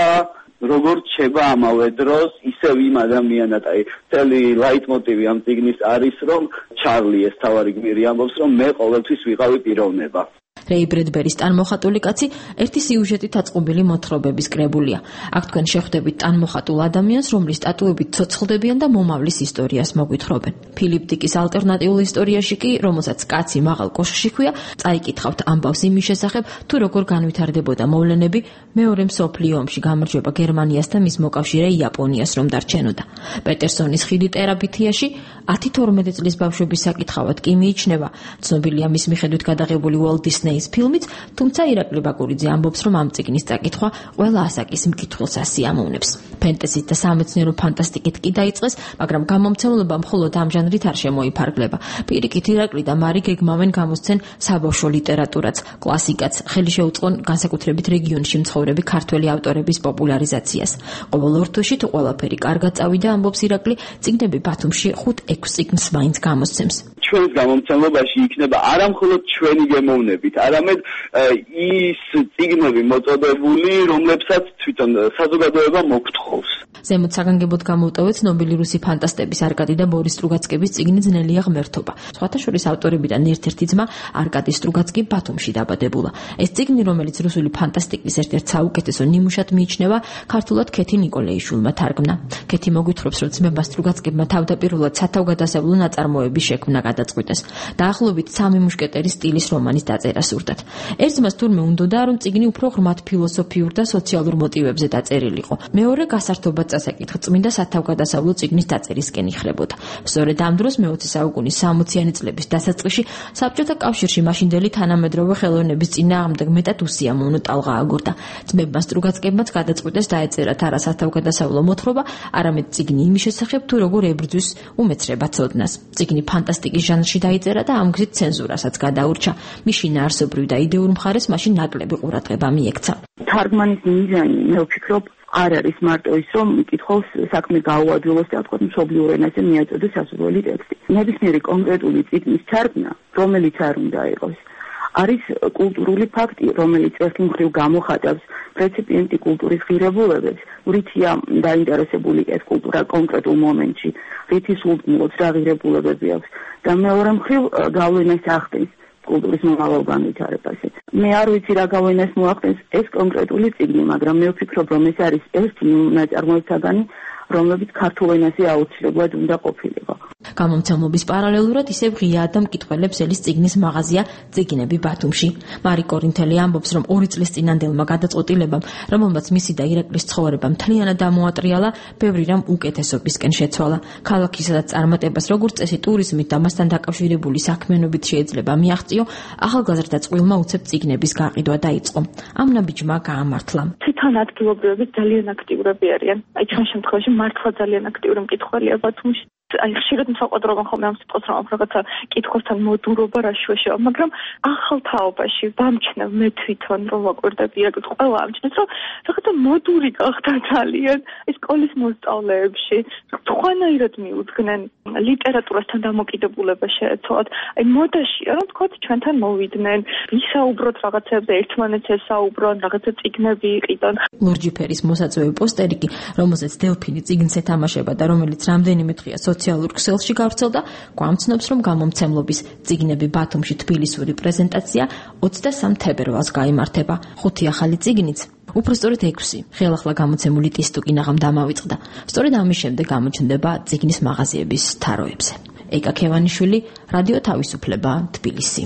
როგორ რჩება ამავე დროს ისევ იმ ადამიანად, აი წელი ლაიტმოტივი ამ წიგნის არის, რომ ჩარლი ეს თავარი გმირი ამბობს, რომ მე ყოველთვის ვიყავი პიროვნება. რეი ბრედბერის ტანმოხატული კაცი ერთი სიუჟეტით აწყობილი მოთხრობების კრებულია. აქ თქვენ შეხვდებით ტანმოხატულ ადამიანს, რომლის ტატუებით ცოცხლდებიან და მომავლის ისტორიას მოგვითხრობენ. ფილიპ დიკის ალტერნატიულ ისტორიაში კი, რომელსაც კაცი მაღალ კოშკში ჰქვია, წაიკითხავთ ამბავს იმის შესახებ, თუ როგორ განვითარდებოდა მოვლენები მეორე მსოფლიო ომში გამარჯვება გერმანიას და მის მოკავშირე იაპონიას რომ დარჩენოდა. პეტერსონის ხიდი ტერაბითიაში ათი თორმეტი წლის ბავშვების საკითხავად კი მიიჩნევა. ცნობილია მის მიხედვით გადაღებული Walt Disney-ის ფილმიც, თუმცა ირაკლი ბაკურიძე ამბობს, რომ ამ წიგნის წაკითხვა ყველა ასაკის მკითხველს ასიამოვნებს. ფენტეზით და სამეცნიერო ფანტასტიკით კი დაიწყეს, მაგრამ გამომცემლობა მხოლოდ ამ ჟანრით არ შემოიფარგლება. პირიქით ირაკლი და მარი გეგმავენ გამოსცენ საბავშვო ლიტერატურაც, კლასიკაც, ხელი შეუწყონ განსაკუთრებით რეგიონში მცხოვრები ქართველი ავტორების პოპულარიზაციას. ყოველ ორ თვეში თუ ყველაფერი კარგად წავიდა, ამბობს ირაკლი, წიგნები ბათუმში ხუთ ექვს წიგნს მაინც გამოსცემს. ჩვენს გამომცემლობაში იქნება არა მხოლოდ ჩვენი გემოვნებით, არამედ ის წიგნები მოწოდებული, რომლებსაც თვითონ საზოგადოება მოგთხოვს. ზემოთ საგანგებოდ გამოვტოვეთ ცნობილი რუსი ფანტასტების არკადი და ბორის სტრუგაცკების წიგნი ძნელია ღმერთობა. სხვათა შორის ავტორებიდან ერთ-ერთი ძმა არკადი სტრუგაცკი ბათუმში დაბადებულა. ეს წიგნი, რომელიც რუსული ფანტასტიკის ერთ-ერთ საუკეთესო ნიმუშად მიიჩნევა, ქართულად ქეთი ნიკოლეიშვილმა თარგმნა. ქეთი მოგვითხრობს, რომ ძმებმა სტრუგაცკებმა თავდაპირველად სათავგადასავლო ნაწარმოების შექმნა გადაწყვიტეს. დაახლოებით სამი მუშკეტერის სტილის რომანის დაწერა სურდათ. ერთ ძმას თურმე უნდოდა, რომ წიგნი უფრო ღრმად ფილოსოფიურ და სოციალურ მოტივებზე დაწერილიყო. მეორე გასართობად წასაკითხ წმინდა სათავგადასავლო წიგნის დაწერისკენ იხლებოდა. სწორედ ამ დროს მეოცე საუკუნის სამოციანი წლების დასაწყისში საბჭოთა კავშირში მაშინდელი თანამედროვე ხელოვნების წინააღმდეგ მეტად უსიამოვნო ტალღა აგორდა. ძმებმა სტრუგაცკებმაც გადაწყვიტეს დაეწერათ არა სათავგადასავლო მოთხრობა, არამედ წიგნი იმის შესახებ, თუ როგორ ებრძვის უმეცრება ცოდნას. წიგნი ფანტასტიკის ჟანრში დაიწერა და ამ გზით ცენზურასაც გადაურჩა. მის შინაარსობრივ და იდეურ მხარეს მაშინ ნაკლები ყურადღება მიექცა. თარგმანის მიზანი, მე ვფიქრობ, არ არის მარტო ის, რომ მკითხველს საქმე გაუადვილოს და თქვა მშობლიურ ენაზე მიაწოდოს სასურველი ტექსტი. ნებისმიერი კონკრეტული წიგნის თარგმნა, რომელიც არ უნდა იყოს, არის კულტურული ფაქტი, რომელიც ერთი მხრივ გამოხატავს რეციპიენტი კულტურის ღირებულებებს, რითია დაინტერესებული ეს კულტურა კონკრეტულ მომენტში, რითი სულტნილობს რა ღირებულებები აქვს და მეორე მხრივ გავლენას ახდენს კულტურის მომავალ განვითარებაზე. მე არ ვიცი რა გავლენას მოახდენს ეს კონკრეტული წიგნი, მაგრამ მე ვფიქრობ, რომ ეს არის ერთი ნაწარმოებისაგანი, რომლებიც ქართულ ენაზე აუცილებლად უნდა ყოფილიყო. გამომცემლობის პარალელურად ისევ ღიაა და მკითხველებს ელის წიგნის მაღაზია წიგნები ბათუმში. მარი კორინთელი ამბობს, რომ ორი წლის წინანდელმა გადაწყვეტილებამ, რომელმაც მისი და ირაკლის ცხოვრება მთლიანად დამოატრიალა, ბევრი რამ უკეთესობისკენ შეცვალა. ქალაქის სადაც წარმატებას როგორც წესი ტურიზმით და მასთან დაკავშირებული საქმიანობით შეიძლება მიაღწიო, ახალგაზრდა წყვილმა უცებ წიგნების გაყიდვა დაიწყო. ამ ნაბიჯმა გაამართლა. თვითონ ადგილობრივები ძალიან აქტიურები არიან. აი ჩვენ შემთხვევაში მართლა ძალიან აქტიური მკითხველია ბათუმში. აი ხშირად მსაყვადრობენ ხოლმე ამ სიტყვას, რომ რაღაცა კითხვასთან მოდურობა რა შეშევა, მაგრამ ახალ თაობაში ვამჩნევ მე თვითონ რომ ვაკვირდები ირაკლს, ყველა ამჩნევს, რომ რაღაცა მოდური გახდა ძალიან ეს სკოლის მოსწავლეებში, სხვანაირად მიუძღნენ ლიტერატურასთან დამოკიდებულება შეეცვალათ. აი მოდაშია რომ თქვათ ჩვენთან მოვიდნენ, ვისაუბროთ რაღაცებზე, ერთმანეთს ესაუბრონ, რაღაცა წიგნები იყიდონ. ლურჯი ფერის მოსაწვევი პოსტერი კი, რომელზეც დელფინი წიგნს ეთამაშება და რომელიც რამდენიმე დღეა სოციალურ ქსელში გავრცელდა, გვამცნობს, რომ გამომცემლობის წიგნები ბათუმში თბილისური პრეზენტაცია ოცდასამ თებერვალს გაიმართება. ხუთი ახალი წიგნიც, უფრო სწორედ ექვსი, ხელახლა გამოცემული ტისტუკინაღამ დამავიწყდა. სწორედ ამის შემდეგ გამოჩნდება წიგნის მაღაზიების თაროებზე. ეკა ქევანიშვილი, რადიო თავისუფლება, თბილისი.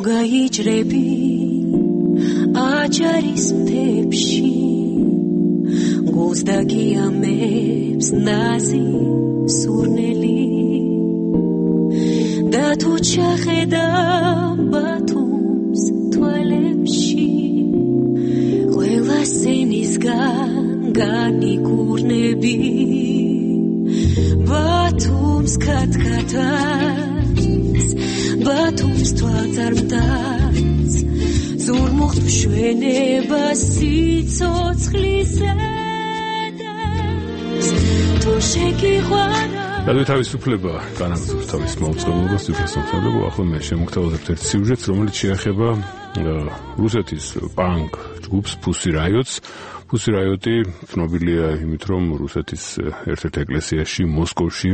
გაიჭრები აჯარის მთებში გულს დაგიამებს ნაზი სურნელი და თუ ჩახედა ბათუმს თვალებში ყველა სენისგან საგანი კურნები ბათუმს ქათქათაც ბათუმს თვალწარმტაც ზურმუხტ მშვენება სიცოცხლის ედებს თუ შეგიყვარა რადიო თავისუფლება განაგრძობს თავის მოუწყებლობას უფლისმოხელება ახლა მე შემოგთავაზებთ ერთ სიუჟეტს რომელიც შეეხება რუსეთის პანკ ჯგუფს Pussy Riot-ს Pussy Riot-ი ცნობილია იმით რომ რუსეთის ერთ-ერთ ეკლესიაში მოსკოვში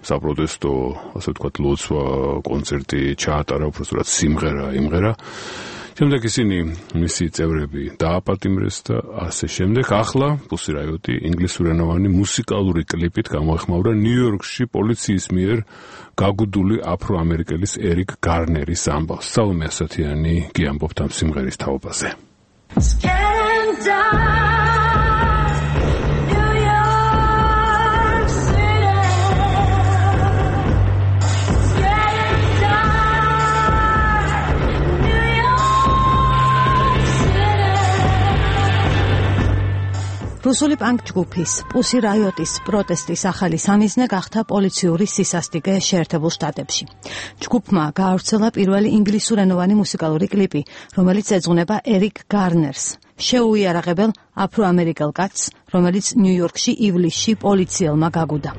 საპროტესტო ასე ვთქვათ ლოცვა კონცერტი ჩაატარა უბრალოდ სიმღერა იმღერა შემდეგ ისინი მისი წევრები დააპატიმრეს და ასე შემდეგ. ახლა Pussy Riot-ი ინგლისურენოვანი მუსიკალური კლიპით გამოეხმაურა ნიუ-იორკში პოლიციის მიერ გაგუდული აფრო-ამერიკელის ერიკ გარნერის ამბავს. სალომე ასათიანი გიამბობთ ამ სიმღერის თაობაზე. რუსული პანკ ჯგუფის Pussy Riot-ის პროტესტის ახალი სამიზნე გახდა პოლიციური სისასტიკე შეერთებულ შტატებში. ჯგუფმა გაავრცელა პირველი ინგლისურენოვანი მუსიკალური კლიპი, რომელიც ეძღვნება ერიკ გარნერს, შეუიარაღებელ აფრო-ამერიკელ კაცს, რომელიც ნიუ-იორკში ივლისში პოლიციელმა გაგუდა.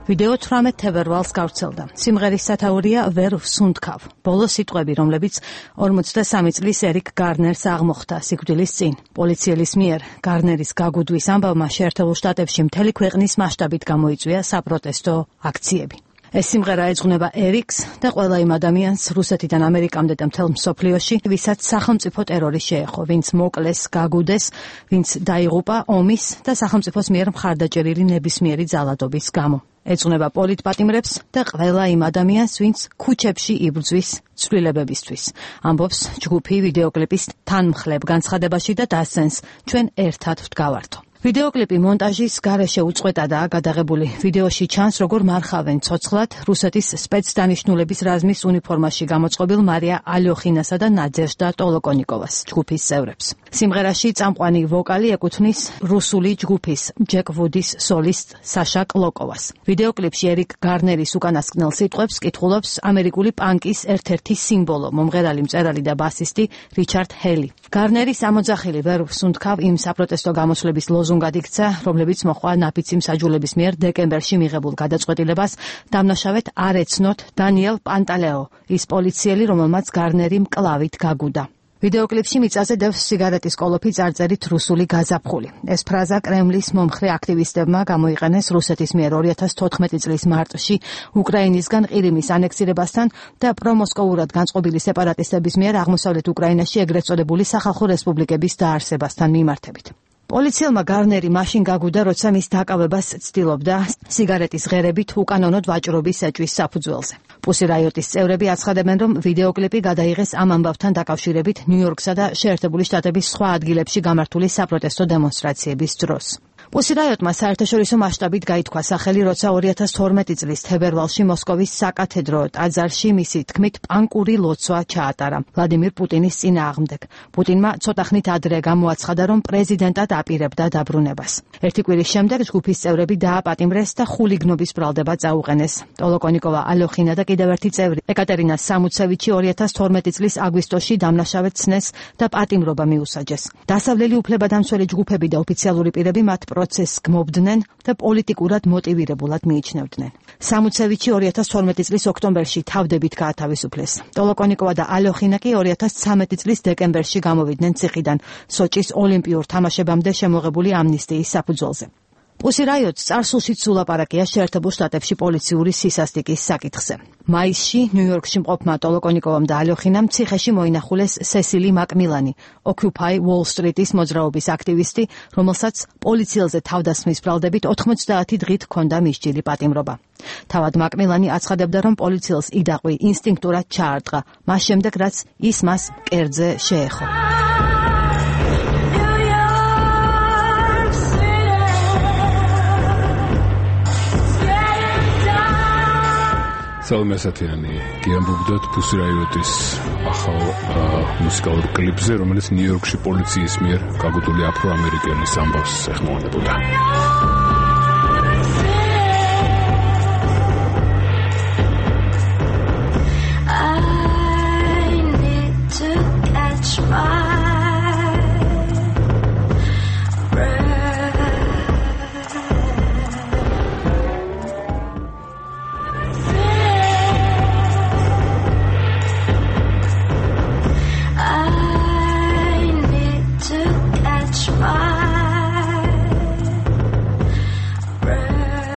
ვიდეო თვრამეტ თებერვალს გავრცელდა. სიმღერის სათაურია ვერ ვსუნთქავ. ბოლო სიტყვები, რომლებიც ორმოცდასამი წლის ერიკ გარნერს აღმოხდა სიკვდილის წინ. პოლიციელის მიერ გარნერის გაგუდვის ამბავმა შეერთებულ შტატებში მთელი ქვეყნის მასშტაბით გამოიწვია საპროტესტო აქციები. ეს სიმღერა ეძღვნება ერიკს და ყველა იმ ადამიანს რუსეთიდან ამერიკამდე და მთელ მსოფლიოში, ვისაც სახელმწიფო ტერორი შეეხო, ვინც მოკლეს, გაგუდეს, ვინც დაიღუპა ომის და სახელმწიფოს მიერ მხარდაჭერილი ნებისმიერი ძალადობის გამო. ეძღვნება პოლიტპატიმრებს და ყველა იმ ადამიანს, ვინც ქუჩებში იბრძვის ცვლილებებისთვის. ამბობს ჯგუფი ვიდეოკლიპის თანმხლებ განცხადებაში და დასცენს ჩვენ ერთად ვდგავართო. ვიდეოკლიპი მონტაჟის გარეშე უწყვეტადაა გადაღებული. ვიდეოში ჩანს, როგორ მარხავენ ცოცხლად რუსეთის სპეცდანიშნულების რაზმის უნიფორმაში გამოწყობილ მარია ალოხინასა და ნადეჟდა ტოლოკონიკოვას, ჯგუფის წევრებს. სიმღერაში წამყვანი ვოკალი ეკუთვნის რუსული ჯგუფის ჯეკ ვუდის სოლისტ საშა კლოკოვას. ვიდეოკლიპში ერიკ გარნერის უკანასკნელ სიტყვებს კითხულობს ამერიკული პანკის ერთ-ერთი სიმბოლო, მომღერალი, მწერალი და ბასისტი რიჩარდ ჰელი. გარნერის ამოძახილი ვერ ვსუნთქავ იმ საპროტესტო გამოსვლების ლოზუნგად იქცა, რომლებიც მოჰყვა ნაფიცი მსაჯულების მიერ დეკემბერში მიღებულ გადაწყვეტილებას დამნაშავედ არ ეცნოთ დანიელ პანტალეო, ის პოლიციელი, რომელმაც გარნერი მკლავით გაგუდა. ვიდეოკლიპში მიწაზე დევს სიგარეტის კოლოფი წარწერით რუსული გაზაფხული. ეს ფრაზა კრემლის მომხრე აქტივისტებმა გამოიყენეს რუსეთის მიერ ორი ათას თოთხმეტი წლის მარტში უკრაინისგან ყირიმის ანექსირებასთან და პრომოსკოვურად განწყობილი სეპარატისტების მიერ აღმოსავლეთ უკრაინაში ეგრეთ წოდებული სახალხო რესპუბლიკების დაარსებასთან მიმართებით. პოლიციელმა გარნერი მაშინ გაგუდა, როცა მის დაკავებას ცდილობდა სიგარეტის ღერებით უკანონოდ ვაჭრობის ეჭვის საფუძველზე. Pussy Riot-ის წევრები აცხადებენ, რომ ვიდეოკლიპი გადაიღეს ამ ამბავთან დაკავშირებით ნიუ-იორკსა და შეერთებული შტატების სხვა ადგილებში გამართული საპროტესტო დემონსტრაციების დროს. Pussy Riot-მა საერთაშორისო მასშტაბით გაითქვა სახელი, როცა ორი ათას თორმეტი წლის თებერვალში მოსკოვის საკათედრო ტაძარში მისი თქმით პანკური ლოცვა ჩაატარა ვლადიმირ პუტინის წინააღმდეგ. პუტინმა ცოტა ხნით ადრე გამოაცხადა, რომ პრეზიდენტად აპირებდა დაბრუნებას. ერთი კვირის შემდეგ ჯგუფის წევრები დააპატიმრეს და ხულიგნობის ბრალდება წაუყენეს. ტოლოკონიკოვა ალოხინა და კიდევ ერთი წევრი ეკატერინა სამუცევიჩი ორი ათას თორმეტი წლის აგვისტოში დამნაშავედ ცნეს და პატიმრობა მიუსაჯეს. დასავლელი უფლებადამცველი ჯგუფები და ოფიციალური პირები მათ პროცესს გმობდნენ და პოლიტიკურად მოტივირებულად მიიჩნევდნენ. სამუცევიჩი ორი ათას თორმეტი წლის ოქტომბერში თავდებით გაათავისუფლეს. ტოლოკონიკოვა და ალოხინა კი ორი ათას ცხრამეტი წლის დეკემბერში გამოვიდნენ ციხიდან სოჭის ოლიმპიურ თამაშებამდე შემოღებული ამნისტიის საფუძველზე. Pussy Riot-ს წარსულშიც სულაპარაკია შეერთებულ შტატებში პოლიციური სისასტიკის საკითხზე. მაისში ნიუ-იორკში მყოფმა ტოლოკონიკოვამ და ალოხინამ ციხეში მოინახულეს სესილი მაკმილანი, Occupy Wall Street-ის მოძრაობის აქტივისტი, რომელსაც პოლიციელზე თავდასხმის ბრალდებით ოთხმოცდაათი დღით ჰქონდა მისჯილი პატიმრობა. თავად მაკმილანი აცხადებდა, რომ პოლიციელს იდაყვი ინსტინქტურად ჩაარტყა, მას შემდეგ რაც ის მას მკერდზე შეეხო. სალომე ასათიანი გიამბობდათ Pussy Riot-ის ახალ მუსიკალურ კლიპზე, რომელიც ნიუ-იორკში პოლიციის მიერ გაგუწული აფრო-ამერიკელის ამბავს ეხმოვანებოდა.